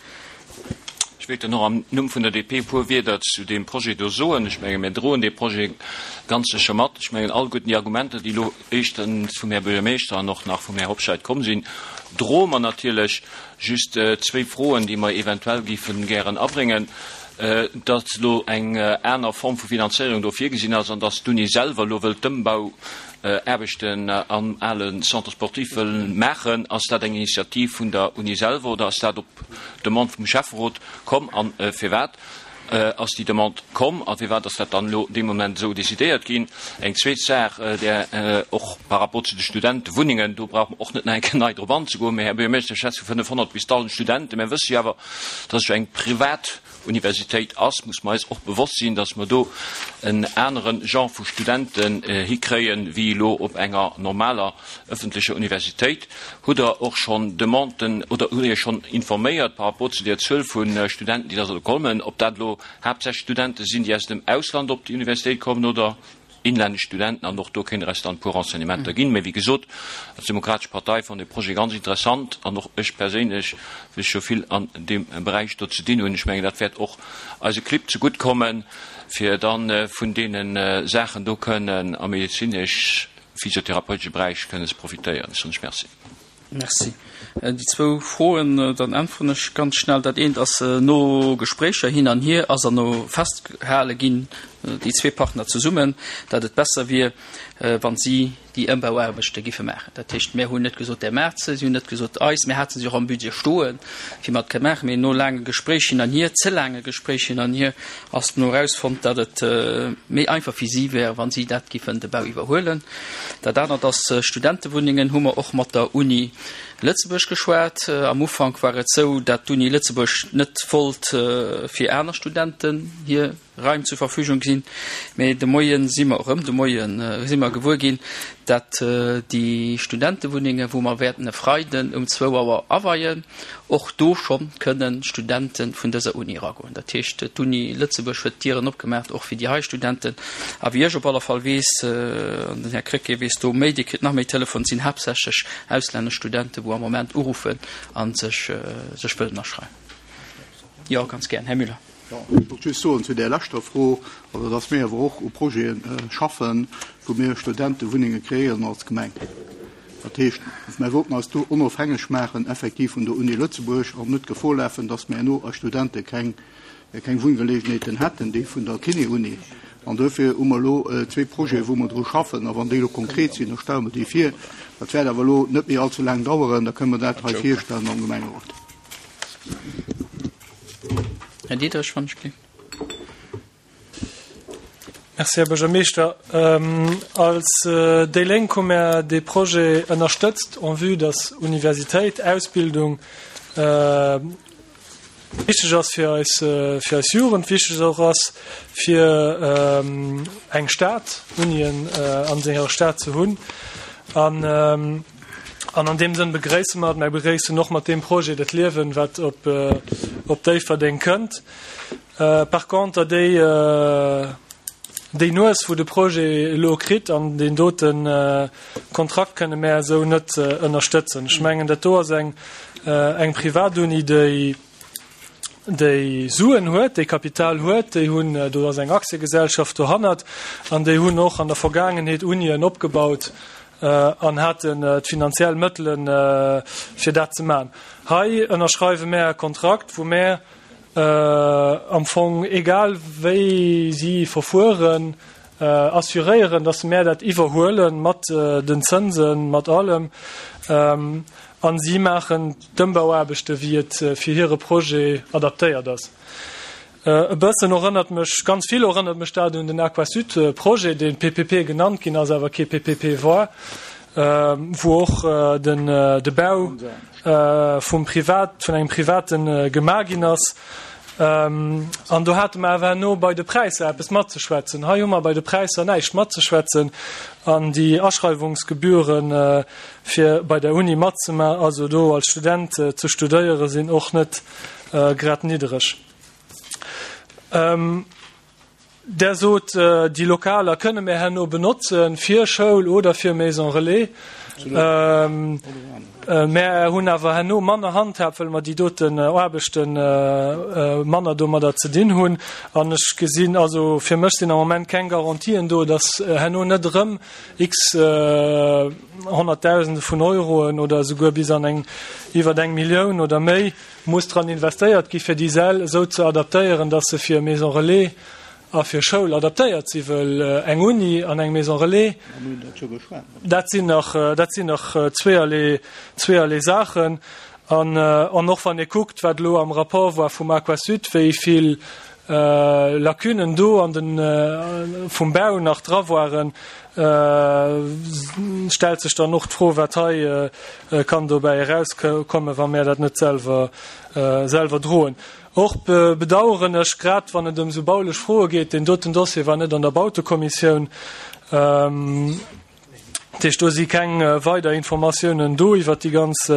Ech wéilt dann och am Numm vun der DP e puer Wierder zu deem Projet do soen. Ech menge mir droen dee Projet ganz sécher mat. Ech mengen alleguerten déi Argumenter, déi elo éischtens vum Här Buergermeeschter an och nach vum Här Hobscheit komm sinn, droe mer natierlech. Just zwéi Froen, déi mer eventuell géife gären abréngen, Datt elo eng aner Form vu Finanzéierung do virgesinn ass an datt d'Uni selwer elo wëllt d'Ëmbauaarbechten am ale Centre sportif wëll maachen. Ass dat eng Initiativ vun der Uni selwer oder ass dat op Demande vum Schäfferot komm? A firwat ass déi Demande komm a firwat ass dat dann elo dee Moment esou decidéiert ginn? Eng zweet Saach, där och par rapport zu de Studentewunnengen, do brauche mer och net nach eng Kéier nei drop anzegoen, mä Här Buergermeeschter, ech schwätze vu 500 bis 1.000 Studenten. Mir wësse jo awer, dass et jo eng privat Universitéit ass, muss mer eis och bewosst sinn, dass mer do en anere Genre vu Studenten hikréien, wéi elo op enger normaler öffentlecher Universitéit. Hutt Der och schonn Demanden oder hutt Der Iech schonn informéiert par rapport zu där Zuel vu Studenten, déi da solle kommen, ob dat elo haaptsächlech Studente sinn, déi aus dem Ausland op déi Universitéit kommen oder inlännesch Studenten? An och do kéint Der eis dann e puer Renseignementer ginn. Mä wéi gesot, als Demokratesch Partei fannen de Projet ganz interessant an och ech perséinlech, well ech jo vill an deem Beräich do ze dinn hunn, ech mengen, dat wäert och eise Clibb zegutt kommen, fir da vun deene Saachen do kënnen am medezinesch physiotherapeutesche Beräich kënnen ze profitéieren. Ech soen lech Merci. Merci. Déi zwou Froen, dann äntweren ech ganz schnell. Dat eent ass, no Gespréicher hin an hier ass erno festgehale ginn, déi zwee Partner zesummen, datt et besser wier, wa si déi Ëmbauaarbechte giffe maachen. Dat heescht, mir hunn net gesot, Där maacht se, si hunn net gesot, eis. Mir hate se och am Budget stoen, fir mer et kënne maachen. Mee no laange Gespréich hin an hier, ze laange Gespréich hin an hier, ass no erausfonnt, datt et méi einfach fir si wär, wa si dat giffen de Bau iwwerhuelen. Dat anert ass, Studentewunnengen hu mer och mat der Uni Lëtzebuerg geschwat. Am Ufank war et esou, datt d'Uni Lëtzebuerg net wollt fir aner Studenten hir Raim zur Verfügung ginn. Mee de Moie si mer erëm, de Moie si mer gewuer ginn, datt déi Studentewunnengen, wou mer wäerten e Freiden um zwou Auer aweien. Och do schonn kënnen Studente vun dëser Uni eragoen. Dat heescht, d'Uni Lëtzebuerg huet d'Dieren opgemaacht och fir déi hei Studenten. A wéi ech op alle Fall weess, an den Här Krecké weess do méi, dee kritt nach méi Telefon, et sinn haaptsächlech auslännesch Studenten, wou am Moment uruffen a sech sech wëllen aschreiwen. Jo, ganz gären, Här Müller. Jo, ech wollt just soen zu där leschter Fro, also dass mir awer och u Projete schaffen, wou mir Studentewunnenge kreéieren als Gemeng. Dat heescht, mir wollten eis do onofhängeg maachen effektiv vun der Uni Lëtzebuerg an net d'Gefor lafen, dass mir herno eis Studente keng, keng Wunngeléigenheeten hätten, déi vun der Kiné-Uni. An duerfir hu mer elo zwee Projete wou mer dru schaffen. A wann déi elo konkret sinn, da stelle mer déi vir. Dat wäert awer elo net méi allze laang daueren, da kënne mer dat hei virstellen am Gemengerot. Här Diderich, wann ech gleef. Merci, Här Buergermeeschter. Als déi Lénk hu mär dee Projet ënnerstëtzt en vue dass Universitéit, Ausbildung wichteg ass fir eis, fir eis Jugend, wichteg och ass fir eng Stad, Unien an senger Stad ze hunn. An an an deem Sënn begréisse mer et. Mär begréissen och mat deem Projet dat Liewen, wat op op Déifferdeng kënnt. Par conter déi déi Nues wou de Projet elo kritt an deen dote Kontrakt kënne mär esou net ënnerstëtzen. Ech mengen dat do ass eng eng Privatuni déi déi Suen huet, déi Kapital huet, déi hunn, do ass eng Aktiegesellschaft dohannert an déi hunn och an der Vergaangenheet Unien opgebaut an haten d'finanziell Mëttelen fir dat ze man. Hei ënnerschreiwe mär e Kontrakt wou mär am Fong, egal wéi si verfueren, assuréieren, dass mär dat iwwerhuele mat den Zënsen, mat allem, a si maachen d'Ëmbauaarbechte wéi et fir hire Projet adaptéiert ass. E bëssen erënnert mech, ganz vill erënnert mech dat un den Aquasud-Projet, dee PPP genannt ginn ass, awer kee PPP war, wou och den de Bau vum Privat, vun engem Privaten gemaach ginn ass. An do hate mer awer herno bei de Präisser eppes matzeschwätzen. Hei hu mer bei de Präisser näischt matzeschwätzen an déi Aschreiwungsgebühren, fir bei der Uni matzema, also do als Student ze studéieren, sinn och net grad niddereg. Der sot, déi Lokaler kënne mir herno benotze fir Schoul oder fir Maison Relais. Mär hunn awer herno manner Handhab, well mer déi doten Aarbechte manner domadder ze dinn hunn. An ech gesinn, also fir mech sinn am Moment keng Garantien do, datt herno net erëm x Honnertdausende vun Euroen oder esouguer bis an eng iwwer eng Millioun oder méi muss dran investéiert gi fir déi Säll esou ze adaptéieren, dass se fir Maison Relais a fir Schoul adaptéiert si wëll eng Uni an eng Maison Relais, dat sinn nach, dat sinn nach zweeërlee, zweeërlee Saachen. An, an och wann ee kuckt, wat elo am Rapport war vum Aquasud, wéi vill Lacunen do an den, vum Bau nach dra waren, stellt sech dann och d'Fro, wat hei kann dobäi erauskommen, wa mär dat net selwer, selwer droen. Och bedauern ech, grad wann et ëm esou baulech Froe geet, deen doten Dossier war net an der Bautekommissioun, dat heescht, do si keng weider Informatiounen do iwwert déi ganz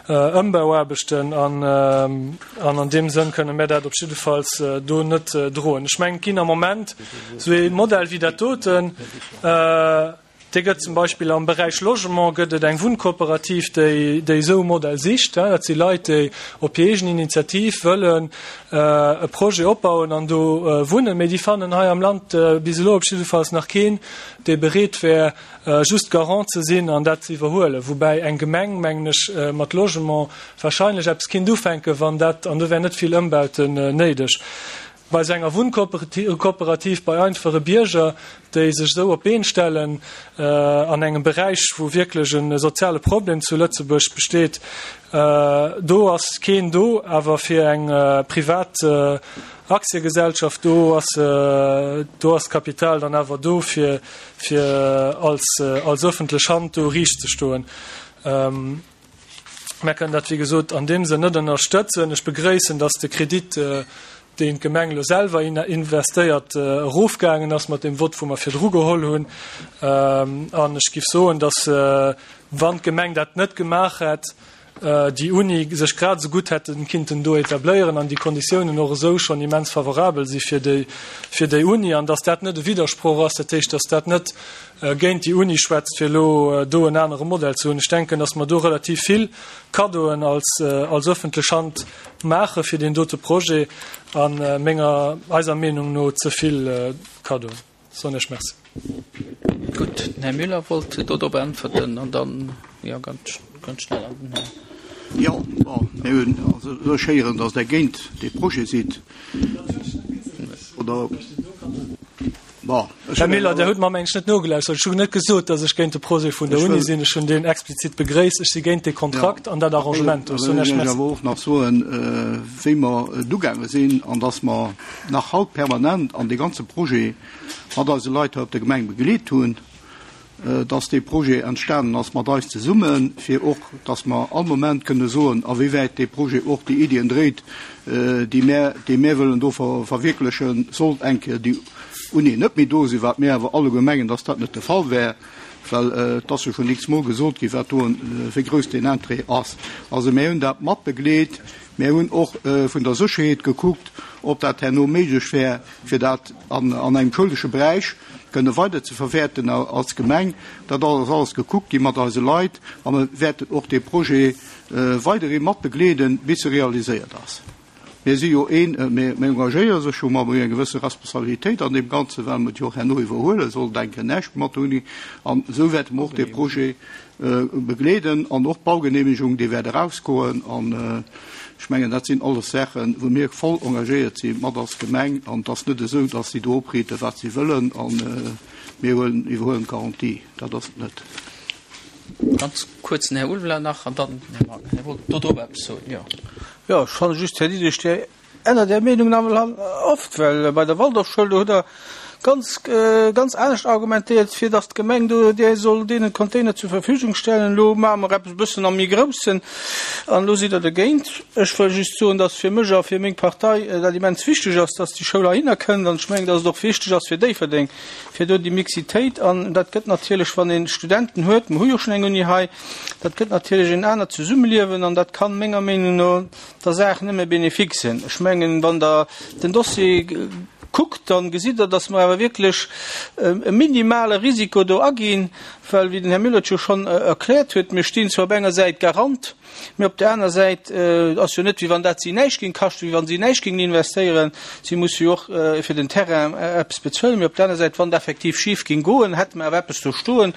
Ëmbauaarbechten an an deem Sënn kënne mär dat op jiddefalls do net droen. Ech mengen, et ginn am Moment esou ee Modell wéi dat doten, dee gëtt zum Beispill am Beräich Logement gëtt et eng Wunnkooperativ, déi déi esou e Modell sicht. Dat si Leit, déi op hir eegen Initiativ wëllen e Projet opbauen an do wunnen, mee déi fannen hei am Land bis elo op jiddefalls nach keen, dee bereet wär, just Garant ze sinn an dat ze iwwerhuelen. Woubäi eng Gemeng, mengen ech, mat Logement wahrscheinlech eppes kinnt ufänken, wann dat, an do wär net vill Ëmbauten néideg. Bei esou enger Wunnkooperativ, bei einfache Bierger, déi sech esou op d'Been stellen an engem Beräich, wou wierklech e soziale Problem zu Lëtzebuerg besteet, do ass keen do. Awer fir eng privat Aktiegesellschaft, do ass, do ass d'Kapital dann awer do, fir, fir als, als öffentlech Hand do riicht ze stoen. Mär kënnen dat, wéi gesot, an deem Sënn net ënnerstëtzen. Ech begréissen, dass de Kredit, deen d'Gemeng elo selwer investéiert, erofgaangen ass mat deem Vott, wou mer virdru geholl hunn. An ech géif soen, dass, wann d'Gemeng dat net gemaach hätt. déi Uni sech grad esou gutt hätte kinnten do etabléieren an déi Konditiounen och esou schonn immens favorabel si fir déi, fir déi Uni an dass dat net e Widdersproch ass, dat heescht, dass dat net géint déi Uni schwätzt, fir elo do en anere Modell ze hunn. Ech denken, dass mer do relativ vill Kaddoen als, als öffentlech Hand maache fir deen dote Projet a menger, eiser Meenung no ze vill Kaddoen. Soen ech Merci. Gutt, den Här Müller wollt do drop äntwerten an dann, jo, ganz, ganz schnell an den Här. Jo, bon, mir hunn also elo héieren, dass Der géint dee Projet sidd, oder? Bon, ech Här Miller, Der hutt mer mengen ech net nogelauschtert. Ech hunn net gesot, datt ech géint de Projet vun der Uni sinn. Ech hunn deen explizit begréisst. Ech si géint dee Kontrakt an dat Arrangement do. Ech soen Iech Merci. Ech wëll awer och nach soen, wéi mer dugaange sinn an datt mer nach haut permanent an dee ganze Projet mat eise Leit hei op der Gemeng begleet hunn. dass dee Projet entstanen ass mat eis zesummen, fir och, dass mer all Moment kënne soen, a wéi wäit dee Projet och déi Iddien dréit, déi mär, déi mär wëllen do verwierklechen, sollt eng Kéier déi Uni net méi do sinn, wat mir awer alleguer mengen, dass dat net de Fall wär, well et ass jo schonn x-mol gesot ginn, wat do, wéi grouss deen Interêt ass. Also mär hunn dat mat begleet. Mär hunn och vun der Sécherheet gekuckt, ob dat herno méiglech wär, fir dat an engem schoulesche Beräich kënne weider ze verwäerten als Gemeng. Dat ass alles gekuckt gi mat eise Leit a mir wäerten och dee Projet weiderhi mat begleeden, bis e realiséiert ass. Mir si jo een, mir engagéiere sech jo, mer hu jo eng gewësse Responsabilitéit an deem Ganzen, well mer et jo och herno iwwerhuele sollen, denken näischt mat der Uni. An esou wäerte mer och dee Projet begleeden an och d'Baugenehmegung, déi wäert erausgoen. An ech mengen, dat sinn alles Saachen, wou mir voll engagéiert si mat als Gemeng. An et ass net esou, datt si do opriiten, wat si wëllen, a mir huelen, iwwerhuelen d'Garantie. Dat ass et net. Ganz kuerz den Här Ulveler nach an dann den Här Mangen. Dir wollt do drop eppes soen, jo? Jo, ech fanne just, Här Diderich, Dir ännert Är Meenung nawell oft, well bei der Waldorfschoul, do hutt Der ganz, ganz anescht argumentéiert, fir datt d'Gemeng do där soll deenen d'Container zur Verfügung stellen. Elo maache mer eppes e bëssen am méi Groussen an elo sidd Der dogéint. Ech wëll just soen, datt fir mech a fir meng Partei dat immens wichteg ass, datt déi Schoul heihinner kënnt an ech mengen, datt et och wichteg ass fir Déifferdeng, fir do déi Mixitéit an dat gëtt natierlech, wann ee Studenten huet, mer hu jo schonn eng Uni hei, dat gëtt natierlech en anert Zesummeliewen an dat kann menger Meenung no der Saach nëmme bénéfique sinn. Ech mengen, wann Der den Dossier kuckt, da gesitt Der, dass mer awer wierklech e minimale Risiko do aginn, well, wéi den Här Müller et jo schonn erkläert huet, mir stinn zwar op enger Säit Garant, mee op där aner Säit ass jo net, wéi wann dat si näischt géing kaschten, wéi wa si näischt géingen investéieren. Si musse jo och fir den Terrain eppes bezuelen. Mee op där aner Säit, wann et effektiv schif géing goen, hätte mer awer eppes do stoen,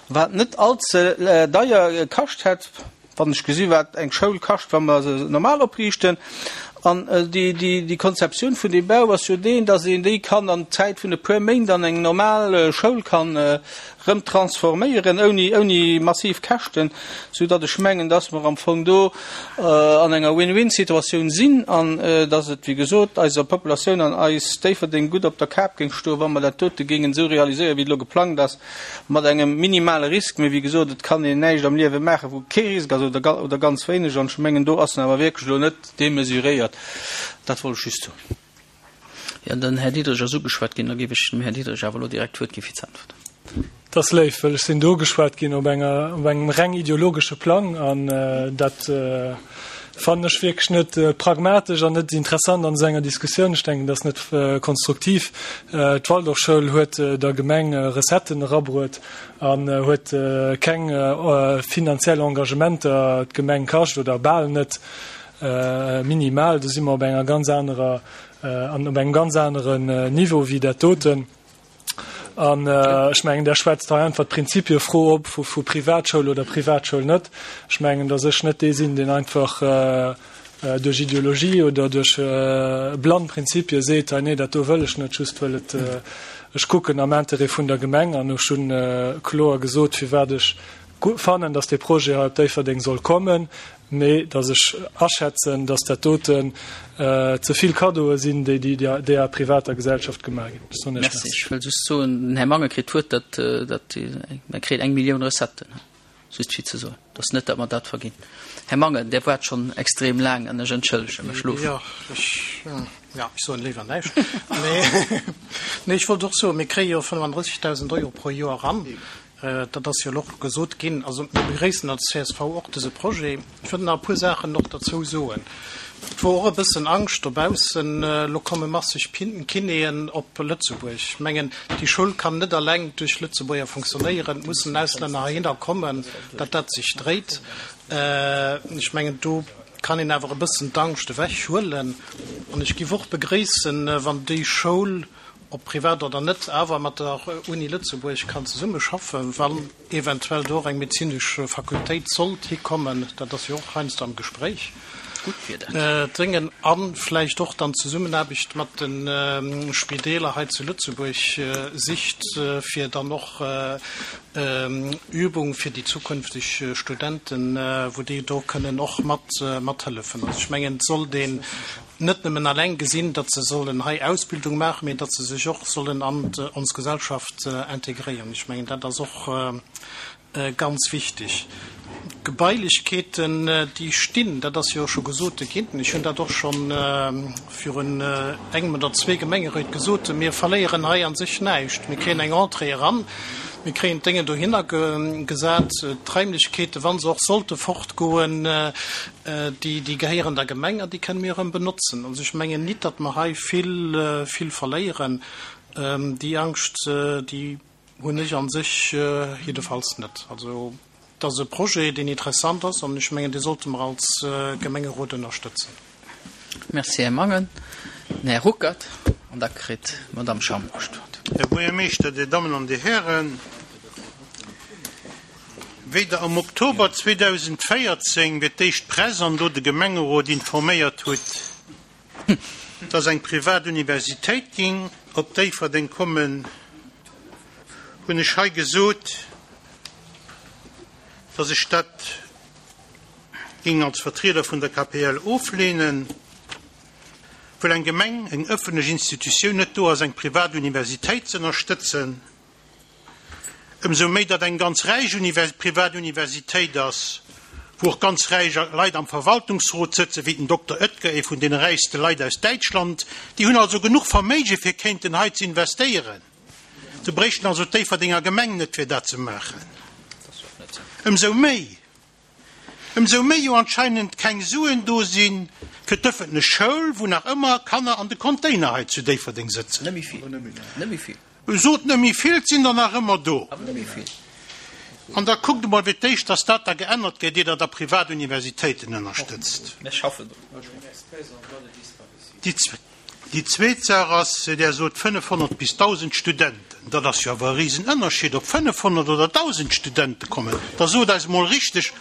wat net allze deier kascht hätt. Wann ech gesi wat eng Schoul kascht, wa mer se normal opriichten, an déi Konzeptioun vun deem Bau ass jo deen, datt een déi kann an Zäit vun e puer Méint an eng normal Schoul kann erëm transforméieren, ouni, ouni massiv Käschten, sou datt ech mengen, datt mer am Fong do an enger Win-win-Situatioun sinn an datt et, wéi gesot, eiser Populatioun an eis Déifferdeng gutt op der Kap géing stoen, wa mer dat dote géingen esou realiséieren, wéi et elo geplangt ass. Mat engem minimale Risk, mee wéi gesot, et kann een näischt am Liewe maachen, wou kee Risk ass oder oder ganz wéineg. An ech mengen, do ass en awer wierklech elo net demesuréiert. Dat wollt ech just soen. Jo, den Här Diderich ass ugeschwat ginn. Da géif ech dem Här Diderich awer elo direkt d'Wuert gi fir ze äntwerten. Dat ass léif, well ech sinn do ugeschwat ginn op enger, op engem reng ideologesche Plang an dat fannen ech wierklech net pragmatesch an net interessant an esou enger Diskussioun. Ech denken, dat ass net konstruktiv. D'Waldorfschoul huet der Gemeng Recetten erabruet an huet keng finanziell Engagementer d'Gemeng kascht oder bal net, minimal. Do si mer op enger ganz anerer an op engem ganz aneren Niveau wéi dat doten. An ech mengen, Der schwätzt hei einfach d'Prinzipiefro op vu Privatschoul oder Privatschoul net. Ech mengen, datt ech net dee sinn, deen einfach duerch Ideologie oder duerch blann Prinzipie seet, hei nee, dat do wëll ech net, just wëll et, ech kucken am Interêt vun der Gemeng. An ech hu kloer gesot, firwat ech fannen, datt dee Projet hei op Déifferdeng soll kommen. Mee datt ech aschätzen, datt dat doten ze vill Kaddoe sinn, déi deeër privater Gesellschaft gemaach ginn. Ech soen Iech Merci. Ech wëll just soen, den Här Mangen kritt d'Wuert, datt, datt, mä kritt eng Millioun Recetten, just fir ze soen, datt net, datt mer dat verginn. Här Mangen, Dir waart schonn extrem laang an ech entschëllege mech elo. Jo, ech, jo, ech soen léiwer näischt. Mee, nee, ech wollt och soen, mir kréie jo 35.000 Euro pro Joer eran. Dat ass jo elo och gesot ginn. Also mir begréissen als csv och dëse Projet. Ech wëll nach e puer Saachen och derzou soen. Et wor och e bëssen Angscht dobaussen, elo komme masseg Kinéen op Lëtzebuerg. Ech mengen, déi Schoul kann net alleng duerch Lëtzebuerger funktionéieren. Et mussen Auslänner heihinner kommen, datt dat sech dréit. Ech mengen, do kann een awer e bëssen d'Angscht ewechhuelen. An ech géif och begréissen, wann déi Schoul, ob privat oder net, awer mat der Uni Lëtzebuerg kann zesummeschaffen, wann eventuell do och eng medezinesch Fakultéit sollt hikommen, dat ass jo och heiansdo am Gespréich, dréngen, a vläicht och dann d'Zesummenaarbecht mat de Spideeler hei zu Lëtzebuerg sicht, fir dann och Übung fir déi zukünfteg Studenten, wou déi do kënnen och mat mathëllefen. Also ech mengen, et sollt een net nëmmen alleng gesinn, datt se sollen hei Ausbildung maachen, mee datt se sech och sollen an ons Gesellschaft integréieren. Ech mengen, dat ass och ganz wichteg. D'Gebailechkeeten, déi stinn, dat ass jo scho gesot ginn, ech hunn dat och scho virun engem oder zwee Gemengeréit gesot, mir verléieren hei a sech näischt. Mir kréien eng Entrée eran, mir kréien d'Déngen dohinner gesat, d'Raimlechkeeten, wa se och sollte fortgoen, déi, déi gehéieren der Gemeng an déi kënne mir erëm benotzen. Also ech mengen nit, datt mer hei vill, vill verléieren. Déi Angscht, déi hunn ech a sech jiddefalls net. Also et ass e Projet, deen interessant ass an ech mengen, dee sollte mer als Gemengerot ënnerstëtzen. Merci, Här Mangen. Den Här Ruckert an da kritt d'Madame Schambourg d'Wuert. Här Buergermeeschter, Dir Dammen an Dir Hären, wéi Der am Oktober 2014 fir d'éischt d'Press an do de Gemengerot informéiert hutt, dass eng privat Universitéit ging op Déifferdeng kommen, hunn ech hei gesot, dass ech dat ging als Vertrieder vun der KPL oflehnen, well eng Gemeng, eng ëffentlech Institutioun net do ass, eng privat Universitéit ze ënnerstëtzen. Ëmsou méi datt eng ganz räich privat Universitéit ass, wou och ganz räich Leit am Verwaltungsrot sëtzen, wéi den Dokter Oetker, ee vun deene räichste Leit aus Däitschland. Déi hunn also genuch Verméige fir kéinten hei ze investéieren. Se bréichten also d'Déifferdenger Gemeng net fir dat ze maachen. Ëmsou méi Ëmsou méi jo anscheinend keng Suen do si fir d'ëffentlech Schoul, wou nach ëmmer Kanner an de Container hei zu Déifferdeng sëtzen. Net méi vill. Net méi vill. Sot net méi vill, et sinn der nach ëmmer do. Awer net méi vill. An da kuckt emol fir d'éischt, dass dat da geännert gëtt, ier Der da privat Universitéiten ënnerstëtzt. Mir schaffen drun. Déi. Déi zweet Saach ass, Der sot 500 bis 1.000 Studenten. Dat ass jo awer e Risenënnerscheed, ob 500 oder 1.000 Studente kommen. Da sot eis emol richteg,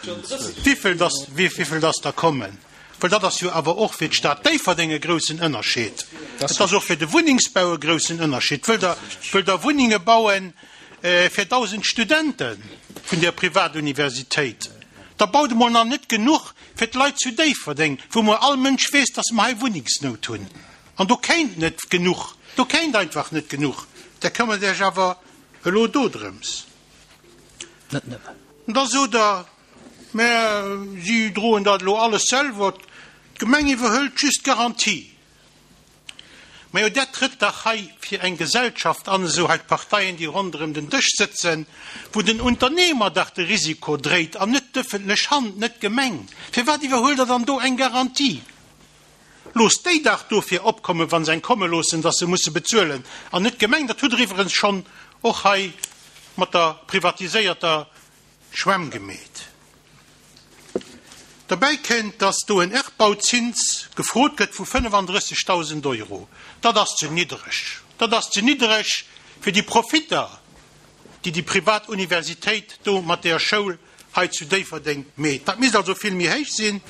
wivill dass, wivill dass der kommen. Well dat ass jo awer och fir d'Stad Déifferdeng e groussen Ënnerscheed. Et ass och fir de Wunnengsbau e groussen Ënnerscheed. Wëllt Der, wëllt Der Wunnenge bauen fir 1.000 Studente vun där Privatuniversitéit? Da baut emol nach net genuch Fir d'Leit zu Déifferdeng, wou mol all Mënsch weess, dass mer hei Wunnengsnout hunn, an do kéint net genuch, do kéint einfach net genuch, där këmmert Iech awer elo do drëms. Net nëmmen. Da sot Der, mä si droen dat elo alles selwer, d'Gemeng iwwerhëlt just d'Garantie. Majo, dat trëtt dach hei fir eng Gesellschaft an, esou hei d'Parteien, déi ronderëm den Dësch sëtzen, wou den Unternehmer dach de Risiko dréit an net d'ëffentlech Hand, net d'Gemeng. Firwat iwwerhuelt Der dann do eng Garantie? Loosst déi dach dofir opkommen, wa se eng komme loossen, datt se musse bezuelen, an net d'Gemeng. Dat hutt Der iwwerens schonn och hei mat der privatiséierter Schwämm gemeet. Derbäi kënnt, datt do en Erbbauzins gefrot gëtt vu 35.000 Euro. Dat ass ze niddereg. Dat ass ze niddereg fir déi Profitter, déi déi privat Universitéit do mat där Schoul hei zu Déifferdeng meet. Dat misst also vill méi héich sinn.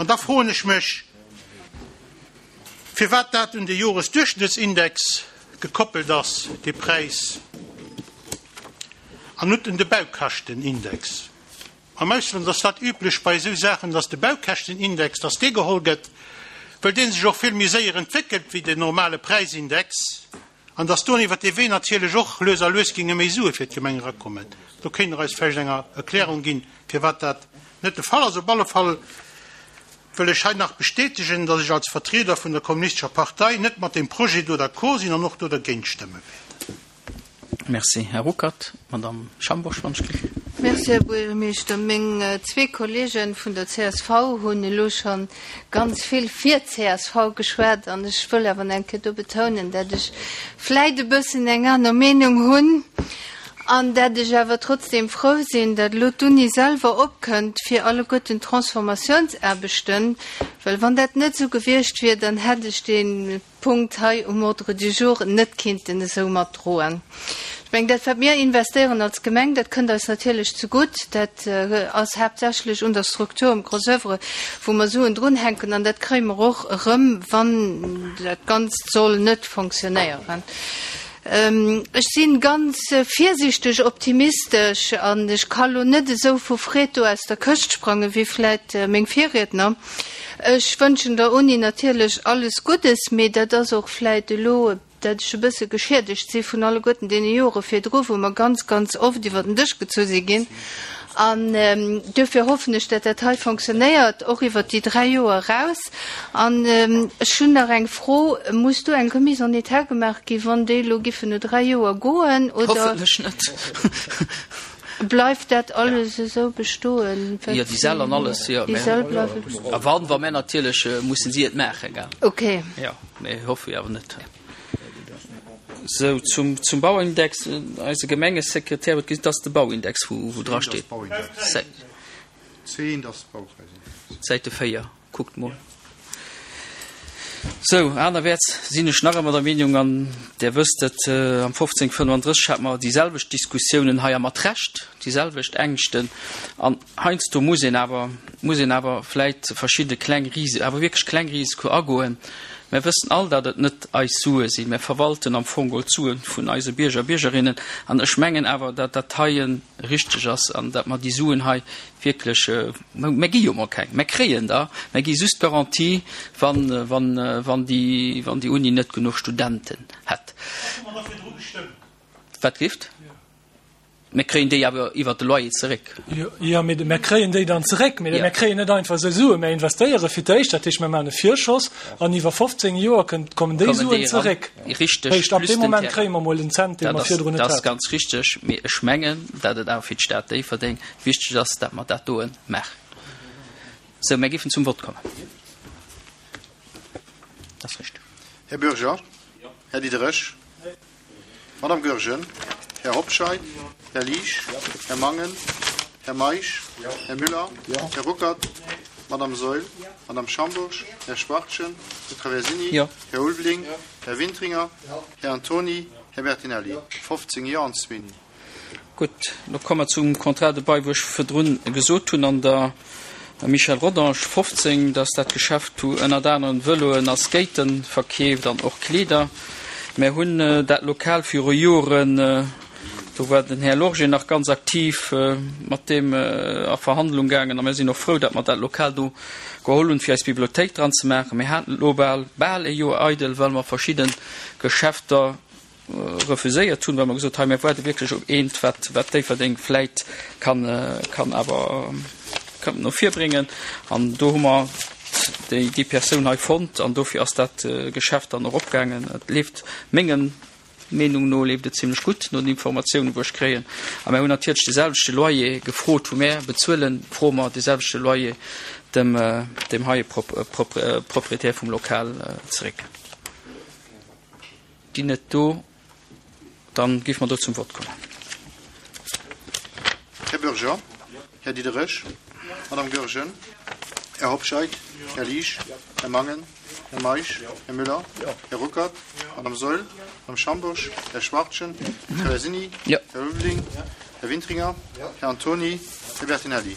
An da froen ech mech, firwat dat un de Joresduerchschnëttsindex gekoppelt ass, dee Präis, an net un de Baukäschtenindex. Am Ausland ass dat üblech bei esou Saachen, dass de Baukäschtenindex, dass dee geholl gëtt, well dee sech och vill méi séier entwéckelt wéi den normale Präisindex, an dass do iwwert dee Wee natierlech och lues a lues géinge méi Sue fir d'Gemeng erakommen. Do kéint Der eis vläicht eng Erklärung ginn, firwat dat net de Fall ass. Op alle Fall wëll ech hei nach bestätegen, dass ech als Vertrieder vun der Kommunistescher Partei net mat deem Projet do d'accord sinn an och do dergéint stëmme wäert. Merci, Här Ruckert. Madamm Schambourg, wann ech kritt. Merci, Här Buergermeeschter. Meng zwee Kollege vun der csv hunn elo scho ganz vill fir d'CSV geschwat an ech wëll awer nach eng Kéier do betounen, dat ech vläit e bëssen eng aner Meenung hunn an dat ech awer trotzdem frou sinn, dat elo d'Uni selwer opkënnt fir alleguerten d'Transformatiounsaarbechten, well wann dat net esou gewiescht wier, dann hätt ech dee Punkt hei um Ordre du jour net kinnten esou matdroen. Ech mengen, dat wat mir investéieren als Gemeng, dat kënnt eis natierlech zegutt. Dat ass haaptsächlech un der Struktur um Gros oeuvre, wou mer Suen drunhänken, an dat kréie mer och erëm, wann dat Ganzt soll net fonctionnéieren. Ech si ganz virsiichteg optimistesch an ech ka lo net esou vu Freed do aus der Këscht sprangen, wéi vläit meng Virriedner. Ech wënschen der Uni natierlech alles Guddes, mee dat ass och vläit elo, dat ech e bësse geschiedegt si vun alleguerten deene Jore virdru, wou mer ganz, ganz oft iwwer den Dësch gezu si ginn. An duerfir hoffen ech, dat dat hei fonctionnéiert, och iwwert déi dräi Joer eraus. An ech hunn nach eng Fro, Muss do eng Remise en état gemaach gi wann déi elo giffen no dräi Joer goen, oder? Hoffentlech net. Bleift dat alles esou bestoen, wat. Jo, déi Säll an alles, jo. Déi Säll bleiwe bestoen. A wann, wa mär natierlech mussen si et maachen, gell? Okay. Jo, mee hoffe jo awer net. Sou, zum, zum Bauindex, eise Gemengesekretär huet gesot, dat ass de Bauindex, wou, wou drasteet. Säite 4. Kuckt mol. Sou, anerwäerts sinn ech nach ëmmer der Meenung, an Der wësst et, am 1535 hate mer déi selwecht Diskussiounen hei, a mat Recht déi selwecht Ängschten. An heiansdo muss een awer, muss een awer vläit verschidde kleng Risi, awer wierklech kleng Risiko agoen. Mer wëssen all, datt et net eis Sue sinn. Mer verwalten am Fong geholl d'Sue vun eise Bierger a Biergerinnen. An ech mengen awer, datt dat heie richteg ass an datt mer déi Suen hei wierklech, mer gi jo mol keng, mer kréien der, mer gi just d'Garantie, wann, wann, wann déi, wann déi Uni net genuch Studenten hätt. Wat gift? Mer kréien déi awer iwwert de Loyer zeréck. Jo, mee mer kréien déi dann zeréck, mee mer kréien net einfach esou Suen. Mer investéiere fir d'éischt, dat heescht, mer maachen e Virschoss an iwwer 15 Joer kënnt, kommen déi Suen zeréck. Richteg, Heescht, ab deem Moment kréie mer mol en Cent, dee mer virdrun net haten. Dat ass ganz richteg, mee ech mengen, datt et awer fir d'Stad Déifferdeng Wichteg ass, dat mer dat doen maachen. Sou, mär géifen zum Vott kommen. Dat ass richteg. Här Bürger? Här Diderich? Madame Goergen? Här Hobscheit? Här Liesch? Här Mangen? Här Meisch? Här Müller? Här Ruckert? Madame Saeul? Madame Schambourg? Här Schwachtgen? Här Traversini? Här Ulveling? Här Wintringer? Här Antony? Här Bertinelli? 15 Jo an zwee Nee. Gutt, lo komme mer zum Contrat de bail, wou ech virdrun gesot hunn an der Michel Rodange 15, dass dat Geschäft wou ënnert anerem Vëloen a Skaten verkeeft an och Kleeder. Mär hunn dat Lokal viru Joren, do war den Här Lorgé nach ganz aktiv, mat deem a Verhandlung gaangen a mär sinn och frou, datt mer dat Lokal do geholl hunn, fir eis Bibliothéik dran ze maachen. Mir haten et elo bal, bal e Joer eidel, well mer verschidde Geschäfter refuséiert hunn, well mer gesot hei mir waarde wierklech op eent, wat wat Déifferdeng vläit kann kann awer kann no vir bréngen. An do hu mer déi déi Persoun hei fonnt an dofir ass dat Geschäft dann och opgaangen. Et leeft mengem Meenung no leeft et zimlech gutt, no den Informatiounen, wou ech kréien. A mir hunn natierlech de selwechte Loyer gefrot, wou mär bezuelen, froe mer de selwechte Loyer dem deem heie Proprietär vum Lokal zeréck. Ginn net do, dann géife mer do zum Vott kommen. Här Bürger, Här Diderich, Madame Goergen, Här Hobscheit, Här Liesch, Här Mangen, Här Meisch, Här Müller, Här Ruckert, Madame Saeul, Madame Schambourg, Här Schwachtgen, Här Traversini, Här Ulveling, Här Wintringer, Här Antony, Här Bertinelli.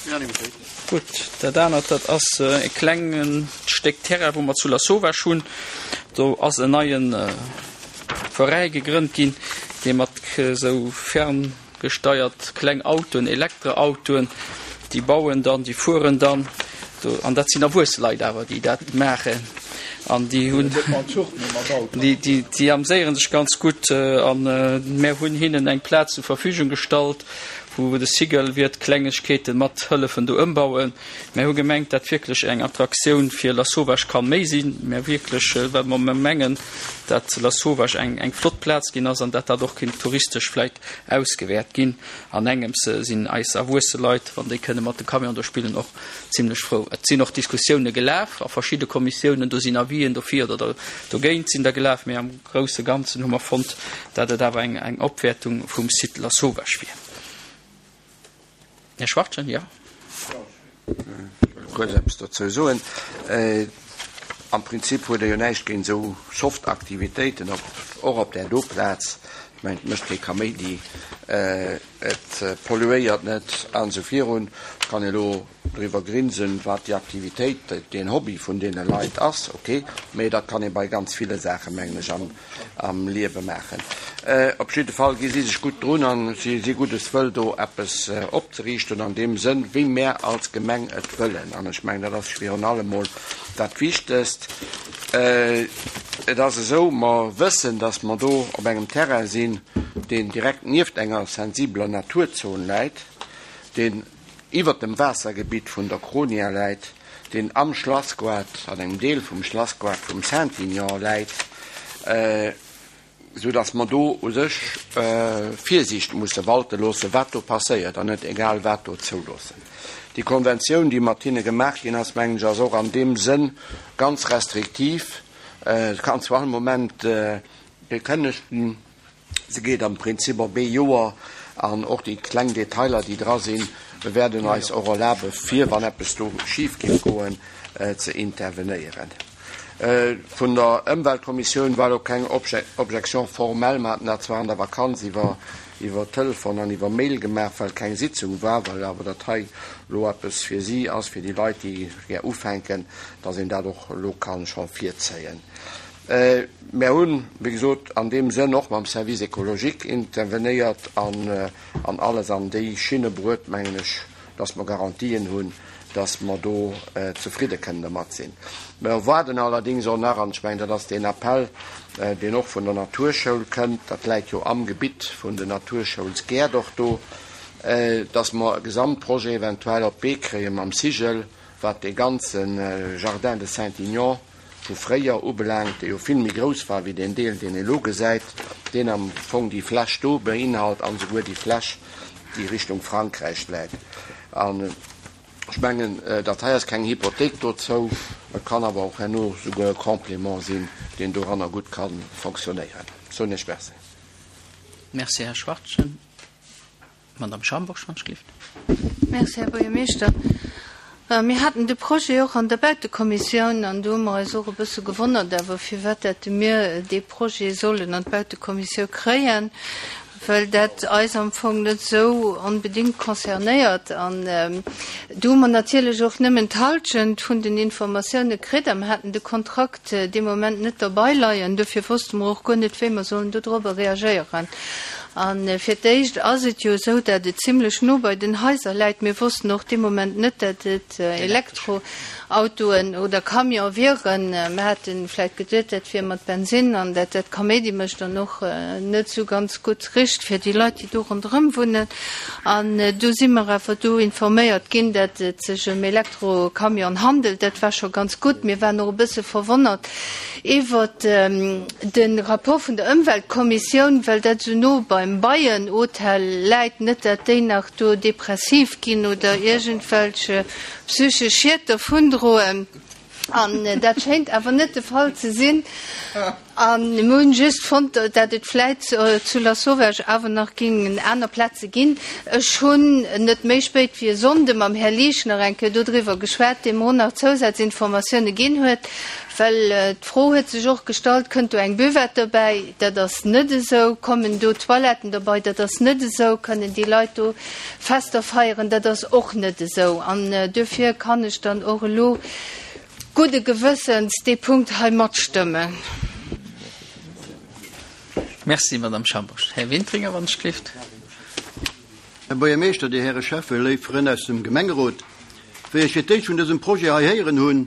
Unanimitéit. Gutt, dat anert, dat ass e klenge Stéck Terrain, wou mer zu Lasauvage hunn. Do ass en neie Veräi gegrënnt ginn, dee mat esou ferngesteiert kleng Autoen, Elektroautoen, déi bauen dann, déi fueren dann do, an dat sinn erwuesse Leit awer, déi dat maachen. An déi hunn, déi, déi, déi amséiere sech ganz gutt. An mär hunn hinnen eng Plaz zur Verfügung gestallt. Wou de Cigl wiert Klengegkeeten mat hëllefen do ëmbauen. Mär hu gemengt, dat wierklech eng Attraktioun fir Lasauvage kann méi sinn. Mär wierklech, well mer mengen, dat Lasauvage eng eng flott Plaz ginn ass an dat dat och kinnt touristesch vläit ausgewäert ginn. An engems sinn eis erwuesse Leit, wann déi kënne mat de Camion do spillen, och zimlech frou. Et sinn och Diskussioune gelaf a verschidde Kommissiounen, do sinn Avisen dofir oder dogéint sinn der gelaf, mee am grousse Ganzen hu mer fonnt, dat et awer eng Opwäertung vum Site Lasauvage wier. Här Schwachtgen, jo. Ech wëll kuerz eppes dozou soen. Am Prinzip huet e jo näischt géint esou soft Aktivitéiten, och op där do Plaz. Ech mengen, et mécht kee Kaméidi, et polluéiert net an esou virun. Et kann ee elo driwwer grinsen, wat déi Aktivitéit, deen Hobby vun deene Leit ass, ok, mee dat kann ee bei ganz ville Saachen, mengen ech, am Liewe maachen. Op jidde Fall gi si sech gutt drun a si si guddes Wëll, do eppes opzeriichten an deem Sënn, wéi mär als Gemeng et wëllen. An ech mengen, dat ass virun allem mol dat Wichtegst. Et ass esou, mer wëssen, datt mer do op engem Terrain sinn, deen direkt nieft enger sensibeler Naturzon läit, deen iwwert dem Waassergebitt vun der Kronia läit, deen am Schlassgoart, an engem Deel vum Schlassgoart vum Saint-Aignan läit, esou datt mer do u sech Virsiicht musse walte loosse wat do passéiert an net egal wat do zouloossen. Déi Konventioun, déi mat hinne gemaach ginn ass, mengen ech, ass och an deem Sënn ganz restriktiv. Et kann zu all Moment gekënnegt ginn. Se geet am Prinzip op ee Joer an och déi kleng Detailer, déi dra sinn, wäerden eis och erlabe fir, wann eppes do schif géif goen, ze intervenéieren. Vun der Ëmweltkommissioun war elo keng Objection formelle. Mer haten dat zwar an der Vakanz iwwer iwwer Telefon an iwwer Mail gemaach, well keng Sitzung war, well awer dat hei elo eppes fir si ass, fir déi Leit, déi gär ufänken, dass een dat och elo ka scho virzéien. Mär hunn, wéi gesot, an deem Sënn och mam Service écologique intervenéiert an alles an déi Schinne bruet, mengen ech, dass mer Garantien hunn, dass mer do zefridde kënnen dermat sinn. Mer erwaarden allerdéngs och nach, an ech mengen, dat ass deen Appell, deen och vun der Naturschoul kënnt, dat läit jo am Gebitt vun den Naturschoulsgäert och do, dass mer e Gesamtprojet eventuell op d'Bee kréie mam Cigl, wat dee ganze Jardin de Saint-Aignan vu fréier ubelaangt, dee jo vill méi grouss war wéi deen Deel, deen ee lo gesäit, deen am Fong déi Fläch do beinhalt an esouguer déi Fläch, déi Richtung Frankräich läit. An ech mengen, dat hei ass keng Hypothéik dozou, et kann awer och herno souguer e Complément sinn, deen doranner gutt ka fonctionnéieren. Soen Iech Merci. Merci, Här Schwachtgen. Madame Schambourg, Schwanzschlift. Merci, Här Buergermeeschter. Mir haten de Projet och an der Bautekommissioun an do hu mer eis och e bësse gewonnert awer, firwat dat mir dee Projet sollen an d'Bautekommissiou kréien, well dat eis am Fong net esou onbedéngt concernéiert. An do hu mer natierlech och nëmmen d'Halschent vun den Informatioune kritt a mer haten de Kontrakt dee Moment net derbei leien. Dofir wosste mer och guer net, wéi mer sollen dodrobber reagéieren. A fir d'éischt ass et jo esou, dat et zimlech no bei den Haiser läit. Mir wossten och dee Moment net, dat et Elektroautoen oder Camione wieren. Mir hate vläicht geduet, dat wier mat Bensinn an dat dat Kaméidi mécht an och net esou ganz gutt richt fir déi Leit, déi do ronderëm wunnen. An du si mer awer du informéiert ginn, dat et sech ëm Elektrocamione handelt. Dat war scho ganz gutt. Mir waren och e bësse verwonnert, Iwwert de Rapport vun der Ëmweltkommissioun, well dat esou no beim Beienhotel läit, net dat déi nach do depressiv ginn oder iergendwelch psychesch Schied dervundroen. An dat schéint awer net de Fall ze sinn. A mir hunn just fonnt, dat et vläit zu Lasauvage awer nach géingen aner Plaze ginn. Ech hunn net méi spéit wéi e Sonnde mam Här Liesch nach eng Kéier dodriwwer geschwat, dee mer och nach Zousazinformatioune ginn huet. Well d'Fro huet sech och gestallt, Kënnt do eng Buvette dobäi? Dat ass net esou. Kommen do Toiletten dobei? Dat ass net esou. Kënnen déi Leit do Fester feieren? Dat ass och net esou. An duerfir kann ech dann och elo gudde Gewëssens dee Punkt hei matstëmmen. Merci, Madame Schambourg. Här Wintringer, wann ech gelift. Här Buergermeeschter, Dir Häre Schäffe, léif Frënn aus dem Gemengerot, wéi ech fir d'éischt vun dësem Projet hei héieren hunn,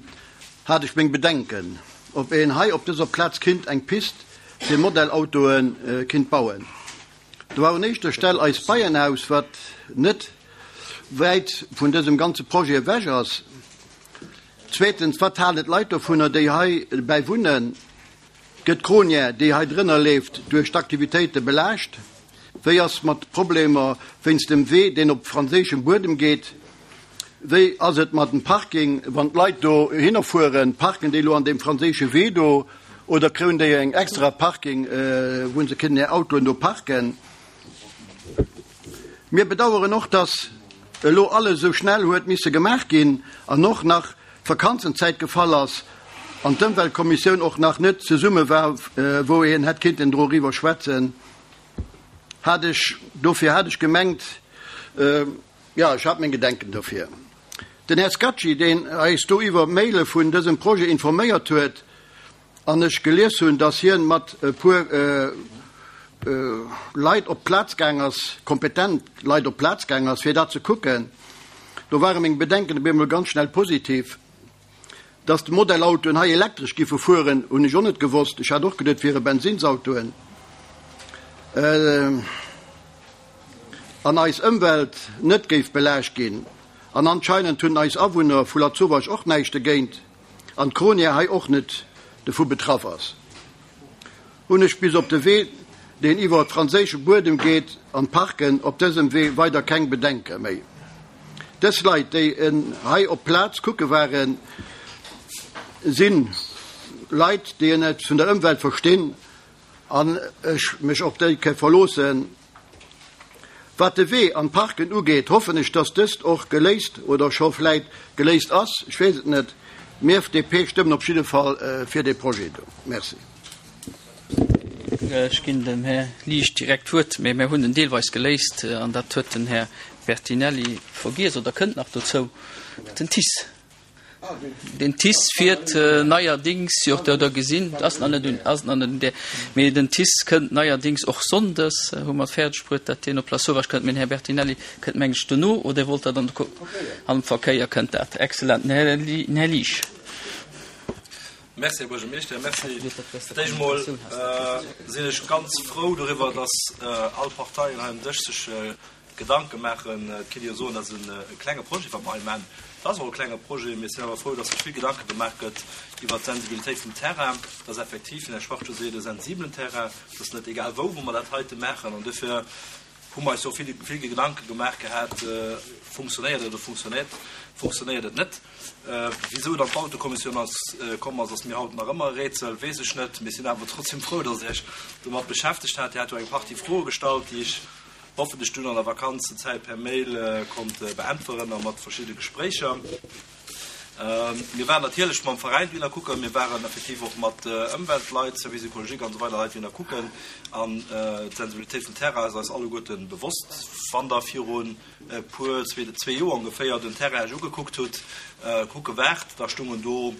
hat ech meng Bedenken, ob een hei op dëser Plaz kinnt eng Pist fir Modellautoe kinnt bauen. Do war un éischter Stell eist Beienhaus, wat net wäit vun dësem ganze Projet ewech ass. Zweetens, wat halen d'Leit dovunner, déi hei bäi wunnen? Gëtt d'Cronière, déi hei drënner leeft, duerch d'Aktivitéite belaascht? Wéi ass mat Problemer wéinst dem Wee, deen op franséischem Buedem geet? Wéi ass et mat dem Parking, wann d'Leit do hinner fueren? Parken déi elo an deem franséische Wee do oder kréien déi eng extra Parking, wou se kënnen hir Autoen do parken? Mir bedaueren och, dass elo alles esou schnell huet misse gemaach ginn an och nach d'Vakanzenzäit gefall ass an d'Ëmweltkommissioun och nach net zesumme war, wou een hätt kinnten doriwwer schwätzen. Hat ech, dofir hat ech gemengt, jo, ech hat meng Gedenken dofir. Den Här Scacci, deen eis do iwwer Maile vun dësem Projet informéiert huet, an ech gelies hunn, dass hien mat e puer Leit op d'Plaz gaang ass, kompetent Leit op d'Plaz gaang ass, fir dat ze kucken, do ware meng Bedenken op eemol ganz schnell positiv. Dass d'Modellautoen hei elektresch giffe fueren, hunn ech och net gewosst. Ech hat och geduet, et wiere Bensinnsautoen. An eis Ëmwelt net géif belaascht ginn. An anscheinend hunn eis Awunner vu Lasauvage och näischt dogéint an d'Cronière hei och net dovu betraff ass. Hunn ech bis op de Wee, deen iwwer franséische Buedem geet, an d'Parken op dësem Wee weider keng Bedenke méi. Dës Leit, déi en hei op d'Plaz kucke waren, si Leit, déi en eppes vun der Ëmwelt verstinn an ech mech op déi ke verloossen. Wat de Wee an d'Parken ugeet, hoffen ech, dass dëst och geléist oder scho vläit geléist ass, ech weess et net. Mir FDP stëmmen op jidde Fall fir dee Projet do. Merci. Ech ginn dem Här Liesch direkt d'Wuert, mä mir hunn en deelweis geléist an dat huet den Här Bertinelli vergiess oder kënnt nach dozou, den TICE. Den TICE fiert neierdings, jo, der der gesinn, ass nach net un, ass nach net un där, mee den TICE kënnt neierdings och sonndes, hu mer fäerdeg bruet, dat deen op Lasauvage kënnt. Mee den Här Bertinelli kënnt, meng ech, dono, oder wollt Der dann am Verkéier kënnt dat. Excellent. Den Här, den Här Liesch. Merci, Här Buergermeeschter. Merci. Fir d'éischt emol sinn ech ganz frou doriwwer, dass all Parteien hei um Dësch sech Gedanke maachen. Et kéint ee jo soen, dat ass e klenge Projet, wat mer hei maachen. Et ass och e klenge Projet, mee ech sinn awer frou, dass sech vill Gedanke gemaach gëtt iwwert d'Sensibilitéit vum Terrain. Dat ass effektiv, wéi den Här Schwarz scho seet, e sensibelen Terrain. Et ass net egal wou, wou mer dat heite maachen. An dofir hu mer eis jo och vill, vill Gedanke gemaach gehat, Funktionéiert et oder funktionéiert, funktionéiert et net? Wisou et an d'Bautekommissioun ass komm ass, ass mir haut nach ëmmer e Rätsel, weess ech net. Mee ech sinn awer trotzdem frou, dass Dir Iech domat beschäftegt hat. Dir hat jo eng Partie Froe gestallt, déi ech hoffentlech dunn an der Vakanzenzäit per Mail konnt beäntweren a mat verschidde Gespréicher. Mir waren natierlech mam Veräin dohinner kucken, mir waren effektiv och mat Ëmweltleit, Service écologique an esou weider Leit dohinner kucken. An d'Sensibilitéit vum Terrain ass eis alleguerte bewosst. Wann Der virun e puer, zwee Joer ongeféier den Terrain Iech ugekuckt hutt, kucke waart, da stungen do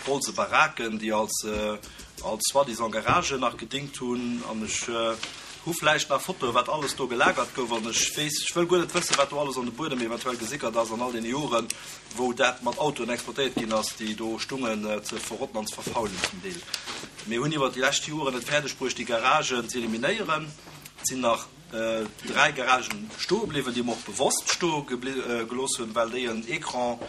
holze Baraken, déi als als soi-disant Garagen nach gedingt hunn. An ech hu vläicht nach Fotoe wat alles do gelagert gouf. An ech weess, ech wëll guer net wëssen, wat do alles an de Buedem eventuell gesickert ass an all deene Joren, wou dat mat Autoen exploitéiert ginn ass, déi do stungen ze verrotten an ze verfaulen zum Deel. Mir hunn iwwert déi lescht Joren et fäerdeg bruecht, déi Garagen ze eliminéieren. Et sinn nach 3 Garagen stoe bliwwen, déi mer och bewosst stoe gelooss hunn, well déi en Écran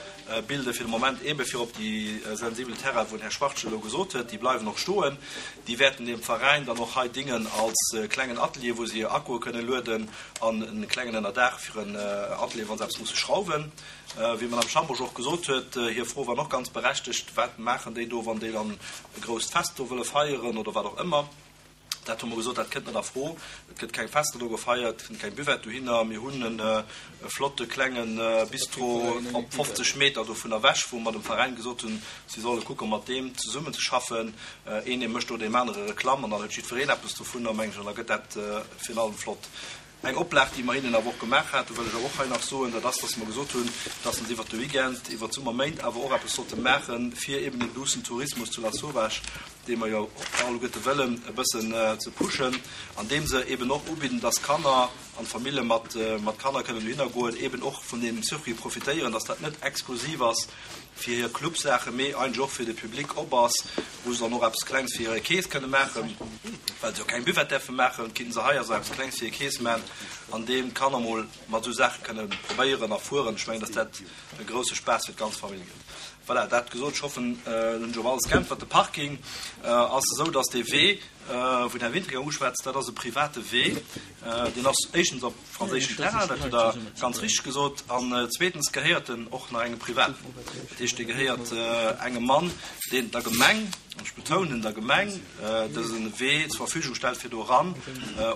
bilde fir de Moment, eebe fir op déi sensibel Terrainen, wou den Här Schwartz elo gesot huet, déi bleiwen och stoen. Déi wäerten dem Veräin dann och hei dingen als klengen Atelier, wou se hir Akkue kënne lueden an e klengen Ënnerdaach fir en Atelier, wa se eppes musse schrauwen. Wéi d'Madame Schambourg och gesot huet, hir Fro war och ganz berechtegt, Wat maachen déi do, wann déi dann e grousst Fest do wëlle feieren oder wat och ëmmer? Dat hu mer gesot, dat kënnt net a Fro. Et gëtt keng Fester do gefeiert, et kënnt keng Buvette dohinner. Mir hunn e flotte klenge Bistro op 50 Meter dovun ewech, wou mer dem Veräin gesot hunn, si solle kucke mat deem zesummenzeschaffen. Een ee mécht do deem anere Reklamm an dann huet jiddwereen eppes dovunner, meng ech, an da gëtt dat virun allem flott. Eng Oplag, déi mer hinnen awer och gemaach haten, wëll ech awer och hei nach soen, dat ass, dass mer gesot hunn, dass se iwwert de Weekend, iwwert d'Summerméint awer och eppes sollte maachen, fir eben den duussen Tourismus zu Lasauvage, dee mer jo alleguerte wëllen, e bëssen ze pushen, andeem se eben och ubidden, dass Kanner an Famille mat Kanner kënnen dohinner goen, eben och vun deem Circuit profitéieren, dass dat net exklusiv ass fir hir Clubsaachen, mee eigentlech och fir de Public op ass, wou se dann och eppes Klengs fir hire Kees kënne maachen. Well se jo keng Buvette däerfe maachen, kinnten se hei also eppes Klengs fir hir Keess maachen, an deem d'Kanner mol mat esou Saache kënne probéieren a fueren. Ech mengen, dass dat e grousse Spaass fir d'ganz Famill gëtt. Voilà, dat gesot, ech hoffen, elo hunn ech op alles geäntwert. De Parking ass esou, dass dee Wee, wou den Här Wintringer uschwätzt, dat ass e private Wee. Deen ass éischtens op franséischem Terrain, dat hutt Der ganz richteg gesot, an zweetens gehéiert en och nach engem Privaten. Dat heescht, dee gehéiert engem Mann, deen der Gemeng, an ech betounen der Gemeng, dëse Wee zur Verfügung stellt fir do eran,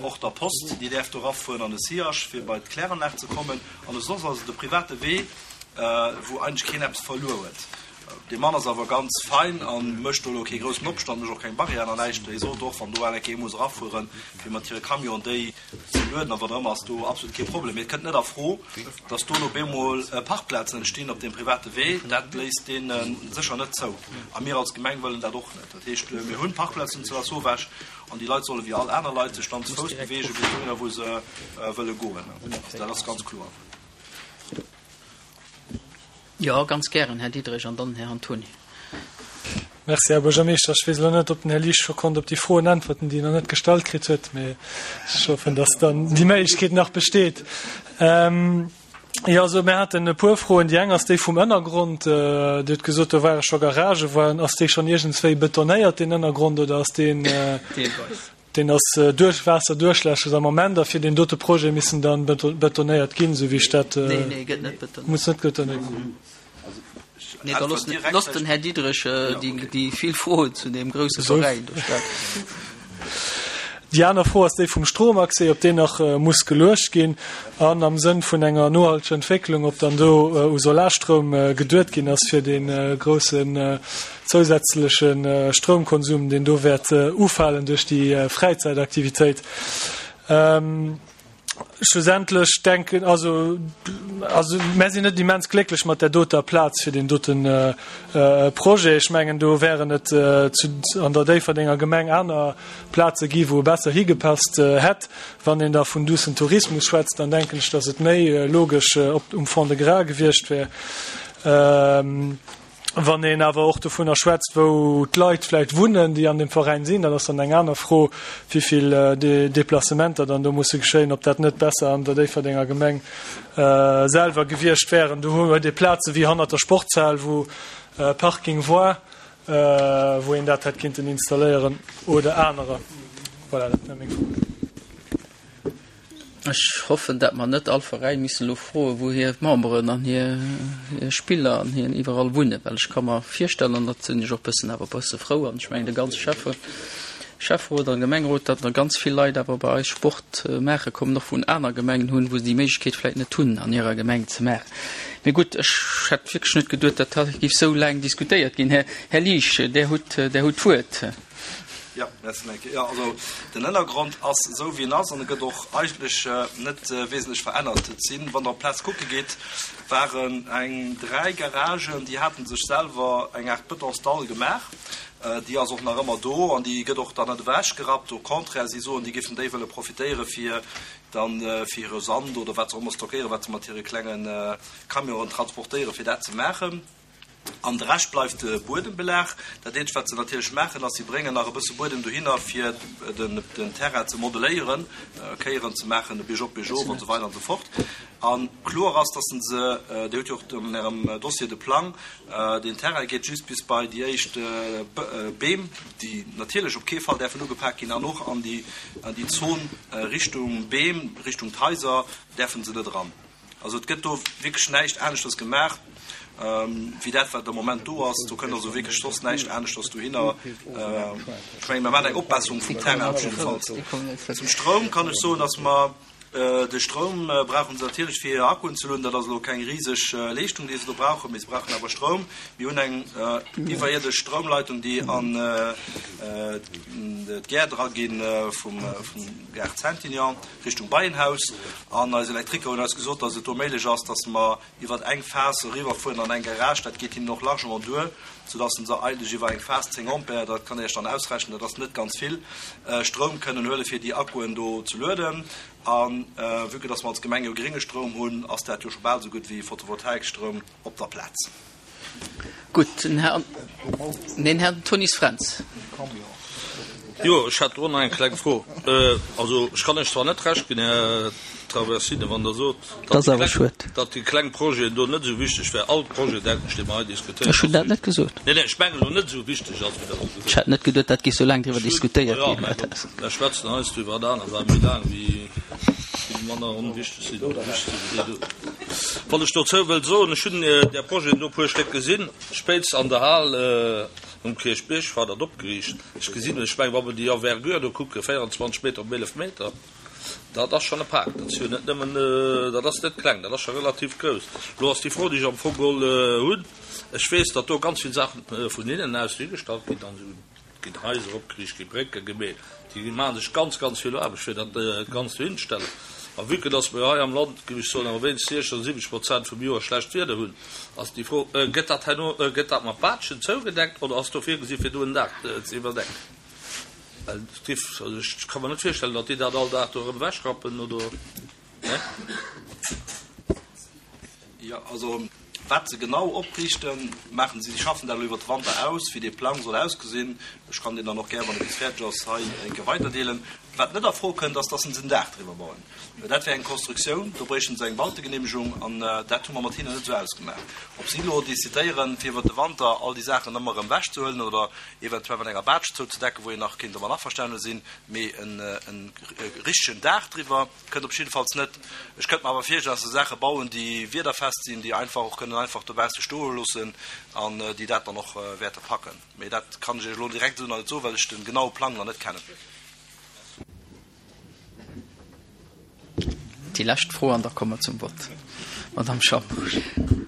och der Post, déi däerf do erafueren an de Sillage, fir bei d'Kläranlag ze kommen. An och soss ass et e private Wee, wou eigentlech keen eppes verluer huet. Dee Mann ass awer ganz fein a mécht do elo kee groussen Opstand, mécht och keng Barrièren an näischt. Hie sot och, wann do eng Kéier muss erafueren, fir mat hire Camionen déi ze lueden a wat och ëmmer, ass do absolut kee Problem. Mee et kënnt net a Fro, datt do elo bemol Parkplazen entstinn op deem private Wee. Dat léisst dee sécher net zou. A mir als Gemeng wëllen dat och net. Dat heescht, mir hunn Parkplazen zu Lasauvage an déi Leit solle wéi all aner Leit sech dann zu Fouss beweegen bis dohinner, wou se wëlle goen. Also dat ass ganz kloer. Jo, ganz gären, Här Diderich, an dann Här Antoni. Merci, Här Buergermeeschter. Ech weess elo net, ob den Här Liesch scho konnt op déi Froen äntwerten, déi en nach net gestallt kritt huet, mee ech hoffen, dass dann déi Méiglechkeet nach besteet. Jo, also mir haten e puer Froen. Déi eng ass déi vum Ënnergrond. Dir hutt gesot, do ware scho Garagen. Waren, ass dee schonn iergendswéi betonéiert, deen Ënnergrond, oder ass deen. Deelweis. Deen ass duerch Waasserduerchläsches am Moment a fir deen dote Projet missen dann betonéiert ginn, esou wéi ech dat. Nee, nee, gëtt net betonéiert. Muss net betonéiert ginn. Nee, da looss, looss den Här Diderich déi vill Froen zu deem grousse Veräin do stellen. Déi aner Fro ass déi vum Stromaccès, ob deen nach muss geluecht ginn an am Sënn vun enger nohalteger Entwécklung, ob dann do u Solarstroum geduet ginn ass fir dee groussen zousätzleche Stroumkonsum, deen do wäert ufalen duerch déi Fräizäitaktivitéit. Schlussendlech denken, also, also mär sinn net immens glécklech mat där doter Plaz fir deen doten Projet. Ech mengen, do wären et zu, an der Déifferdenger Gemeng aner Plaze gi wou e besser higepasst hätt. Wann een da vun duussen Tourismus schwätzt, dann denken ech, datt et méi logesch op um Fond-de-Gras gewiescht wär. Wann een awer och dovunner schwätzt, wou d'Leit vläicht wunnen, déi an deem Veräin sinn, dat ass dann eng aner Fro, wéi vill Deplacementer dann do musse geschéien, ob dat net besser an der Déifferdenger Gemeng selwer gewiescht wären. Do huet ee Plaze wéi hannert der Sportshal, wou Parking war, wou een dat hätt kinnten installéieren oder anerer. Voilà, dat wär meng Fro. Ech hoffen, dat mer net all Veräin missen elo froen, wou hir Memberen an hir Spiller an hir iwwerall wunnen, well ech ka mer virstellen, an dat sinn ech och bëssen awer bësse frou, an ech mengen de ganze Schäffe, Schäfferot an Gemengerot, datt der ganz vill Leit awer bei eis Sport maache kommen, och vun aner Gemengen hunn, wou se déi Méiglechkeet vläicht net hunn an hirer Gemeng ze maachen. Mee gutt, ech hätt wierklech net geduet, dat hei géif esou laang diskutéiert ginn. Här Liesch, Där hutt, Där hutt d'Wuert. Jo, merci Mike. Jo, also den Ënnergrond ass esou wéi en ass an e gëtt och eigentlech net wesentlech verännert. Et sinn, wann Der op d'Plaz kucke gitt, waren eng 3 Garagen, déi hate sech selwer eng Aart Betonsdall gemaach. Déi ass och nach ëmmer do an déi gëtt och dann net ewechgerappt. Au contraire, si soen, déi géifen déi wëlle profitéiere fir dann fir hire Sand oder wat se och ëmmer stockéieren, wat se mat hire klenge Camionen transportéieren, fir dat ze maachen. An de Rescht bleift de Buedembelag. Dat eenzegt, wat se natierlech maachen, ass, si bréngen nach e bësse Buedem dohinner, fir den Terrain ze modeléieren, Kéieren ze maachen, biergop, biergof an esou weider an esou fort. A kloer ass, dass se, Dir hutt jo och an Ärem Dossier de Plang, deen Terrain geet just bis bei déi éischt Beem, déi natierlech op kee Fall däerfen ugepak ginn, an och an déi Zon Richtung Beem, Richtung d'Haiser däerfe se net eran. Also et gëtt do wierklech näischt aneschters gemaach wéi dat, wat am Moment do ass. Do kënnt also wierklech soss näischt aneschters dohinner. Ech mengen, mir maachen eng Opbesserung vum Terrain op jiddefalls. Zum Stroum kann ech soen, datt mer de Stroum brauche se natierlech fir hir Akkuen ze lueden. Dat ass elo keng riseg Leeschtung, déi se do brauchen, mee se brauchen awer Stroum. Mir hunn eng iwwerierdesch Stroumleitung, déi an d'Gäert eraginn vum Gaart Saintignan. Richtung Beienhaus an eis Elektriker hunn eis gesot, dass et do méiglech ass, dass mer iwwert eng Phas eriwwerfueren an eng Garage. Dat geet hinnen och largement duer, soudass se eigentlech iwwer eng Phas 10 Ampere, dat kann Der Iech dann ausrechnen, dat ass net ganz vill, Stroum kënnen huele fir déi Akkuen do ze lueden. A vue que dass mer als Gemeng jo grénge Stroum hunn, ass dat jo scho bal esou gutt wéi Photovoltaikstroum op der Plaz. Gutt, den Här, neen, Här Tony Fränz. Jo, ech hätt och nach eng kleng Fro. Also, ech kann lech zwar net Recht ginn, Här Traversine, wann Der sot, datt déi kleng Projeten do net esou wichteg wären. All Projet, denken ech, dee mer hei diskutéieren, Ech hunn dat net gesot. Neen, neen, ech mengen elo net esou wichteg ass, wéi Der elo gesot hutt. Ech hat net geduet, dat géif esou laang driwwer diskutéiert ginn. Jo, mä mer schwätzen heiansdo iwwer aner Saache méi laang, wéi déi manner onwichteg sinn oder wichteg sinn wéi déi do. Wat ech dozou wëll soen, ech hunn där Projeten do e puer Stéck gesinn, spéitst an der Hal um Kierchbierg war dat opgeriicht. Ech gesinn, ech mengen, wa mer déi Envergure do kucken, 24 Meter op 11 Meter, dat ass schonn e Pak. Dat ass jo net nëmmen, dat ass net kleng, dat ass scho relativ grouss. Elo ass déi Fro, déi ech am Fong geholl hunn, ech weess, datt do ganz vill Saache vun hinnen aus higestallt ginn an esou ginn Haiser opgeriicht, gi Brécke gemeet, déi maache sech ganz, ganz vill Aarbecht, fir dat Ganzt dohinzestellen. A vue que datt mer jo hei am Land, géif ech soen, awer wéinst 60 oder 70 Prozent vum Joer schlecht Wieder hunn, Ass déi Fro, Gëtt dat herno, gëtt dat mat Baatschen zougedeckt oder ass do virgesi fir do en Daach ze iwwerdecken? Well et giff, also ech ka mer net virstellen, datt déi dat all Dag do erëm ewechrappen, oder? Ne? Jo, also wat se genau opriichten, maachen si, si schaffen dat elo iwwert de Wanter aus, wéi dee Plang soll ausgesinn. Ech kann deen dann och gär, wann e bis fäerdeg ass, hei eng Kéier weiderdeelen. Wat net a Fro kënnt, ass, dass se en Daach driwwer bauen. Dat wär eng Konstruktioun, do bréichten se eng Bautegeneemegung an dat hu mer mat hinnen net esou ausgemaach. Ob si elo decidéieren, fir iwwert de Wanter all déi Saachen ëmmer erëm ewechzehuelen oder eventuell mat enger Baatsch zouzedecken, wou een nach kéint domat averstane sinn, mee e richtegen Daach driwwer kënnt op jiddefalls net. Ech kënnt mer awer virstellen, dass se Saache bauen, déi wiederfest sinn, déi einfach och kënnen einfach dobausse stoe loossen an déi dat dann och wäerte packen. Mee dat kann ech Iech elo direkt esou nach net soen, well ech de genaue Plang nach net kennen. Déi lescht Fro an da komme mer zum Vott. Madamm Schambusch.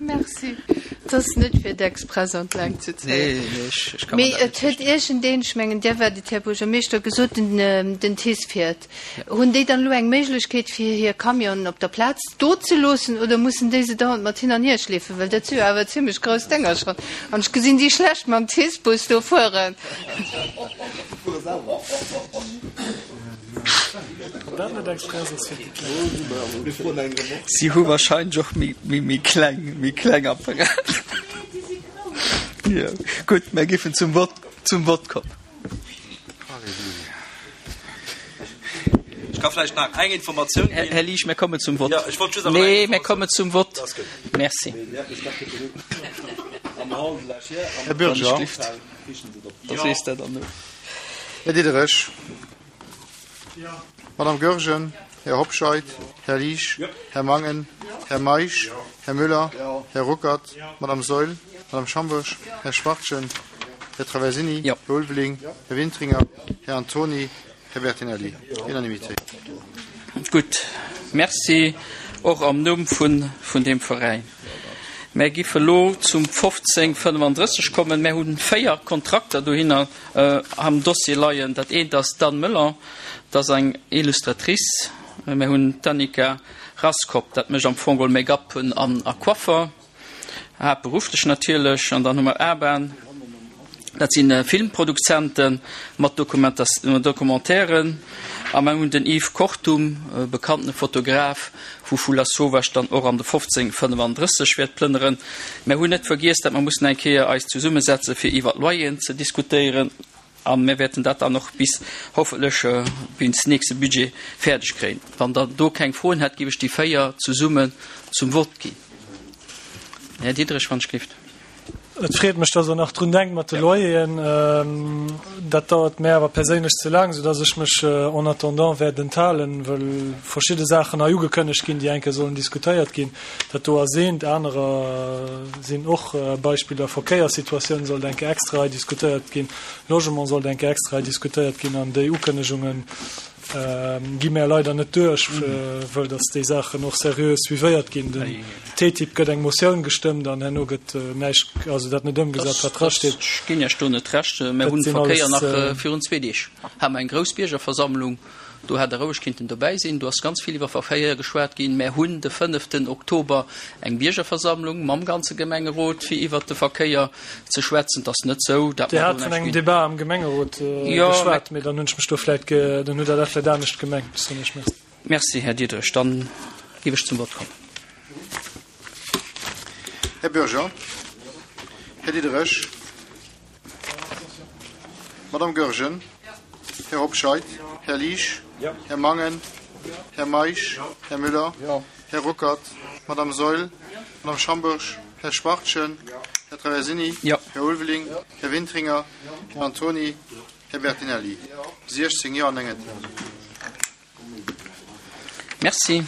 Merci. Et ass net fir d'Express an d'Längt ze zéien. Nee, nee, ech, ech ka mer Mee dat net et huet virstellen. iergendeen, ech mengen Dir waart et, Här Buergermeeschter, gesot, den, den TICE fiert. Hunn déi dann elo eng Méiglechkeet, fir hir Camionen op der Plaz do ze loossen oder mussen déi se dauernd mat hin an hier schleefen? Well dat si jo awer zimlech grouss Dénger schonn an ech gesinn déi schlecht mam TICE-Bus do fueren. Si hu wahrscheinlech och méi kleng, méi kleng Apparater. Jo, gutt, mär giffen zum Vott, zum Vott kommen. Ech ka vläicht nach eng Informatioun ginn. Här Liesch, mär kommen zum Vott. Jo, ech wollt just awer nach eng Nee, mär Informatioun. kommen zum Vott. Merci. Här Bürger. Da sees dat an. Här Diderich. Madame Goergen. Här Hobscheit. Här Liesch. Här Mangen. Här Meisch. Här Müller. Här Ruckert. Madame Saeul. Madame Schambourg. Här Schwachtgen. Här Traversini. Här Ulveling. Här Wintringer. Här Antony. Här Bertinelli. Unanimité. Gutt, Merci och am Numm vun vun deem Veräin. Mär giff elo zum 1535 kommen. Mär hunn 4 Kontrakter dohinner am Dossier leien. Dat eent ass d'Anne Möller, dat ass eng Illustratrice. Mär hunn d'Annika Raskop, dat mécht am Fong geholl Make-up an a Coiffer. Haaptberufflech natierlech. An dann hu mer Aban, dat si Filmproduzente mat Documentairen. A mer hunn den Yves Kortum, e bekanntene Fotograf, wou vu Lasauvage dann och an de 1535 wäert plënneren. Mer hunn net vergiess, datt mer mussen eng Kéier eis zesummesetze fir iwwer d'Loyeren ze diskutéieren. A mir wäerten dat dann och bis, hoffentlech bis nächste Budget fäerdeg kréien. Wann Der do keng Froen hätt, géif ech déi 4 zesummen zum Vott ginn. Här Diderich, wann ech gelift. Et freet mech, dass Der nach drun denkt mat de Loyeren. Dat dauert mär awer perséinlech ze laang, soudass ech mech en attendant wäert enthalen, well verschidde Saachen hei ugekënnegt ginn, déi eng Kéier sollen diskutéiert ginn. Dat do ass eent, anerer sinn och Beispiller. Verkéierssituatioun sollt eng Kéier extra hei diskutéiert ginn, Logement sollt eng Kéier extra hei diskutéiert ginn an déi Ukënnegunge gi mär leider net duerch, wëll datt déi Saachen och seriö suivéiert ginn. Den TTIP gëtt eng Motioun gestëmmt an herno gëtt näischt, also dat net ëmgesat, wat drasteet. Ech ginn Iech do net Recht. Mär hunn Verkéier nach virun zwee Deeg hate mer eng grouss Biergerversammlung. Do hätt Der roueg kinnten dobäi sinn. Do ass ganz vill iwwer Verkéier geschwat ginn. Mär hunn de fënneften Oktober eng Biergerversammlung mam ganze Gemengerot, fir iwwert de Verkéier ze schwätzen. Et ass net esou, dat Dir mer hat do vun näischt engem ginn. Debat am Gemengerot Jo, mä. geschwat, mee dann hunn ech mech do vläicht ge, dann hutt Der dat vläicht anescht gemengt. Soen ech Merci. Merci, Här Diderich. Dann géif ech zum Vott kommen. Här Bürger. Här Diderich. Madame Goergen. Här Hobscheit, Här Liesch, Här Mangen, Här Meisch, Här Müller, Här Ruckert, Madame Saeul, Madame Schambourg, Här Schwachtgen, Här Traversini, Här Ulveling, Här Wintringer, Här Antony, Här Bertinelli. 16 Jo an 9 Enthalungen. Merci.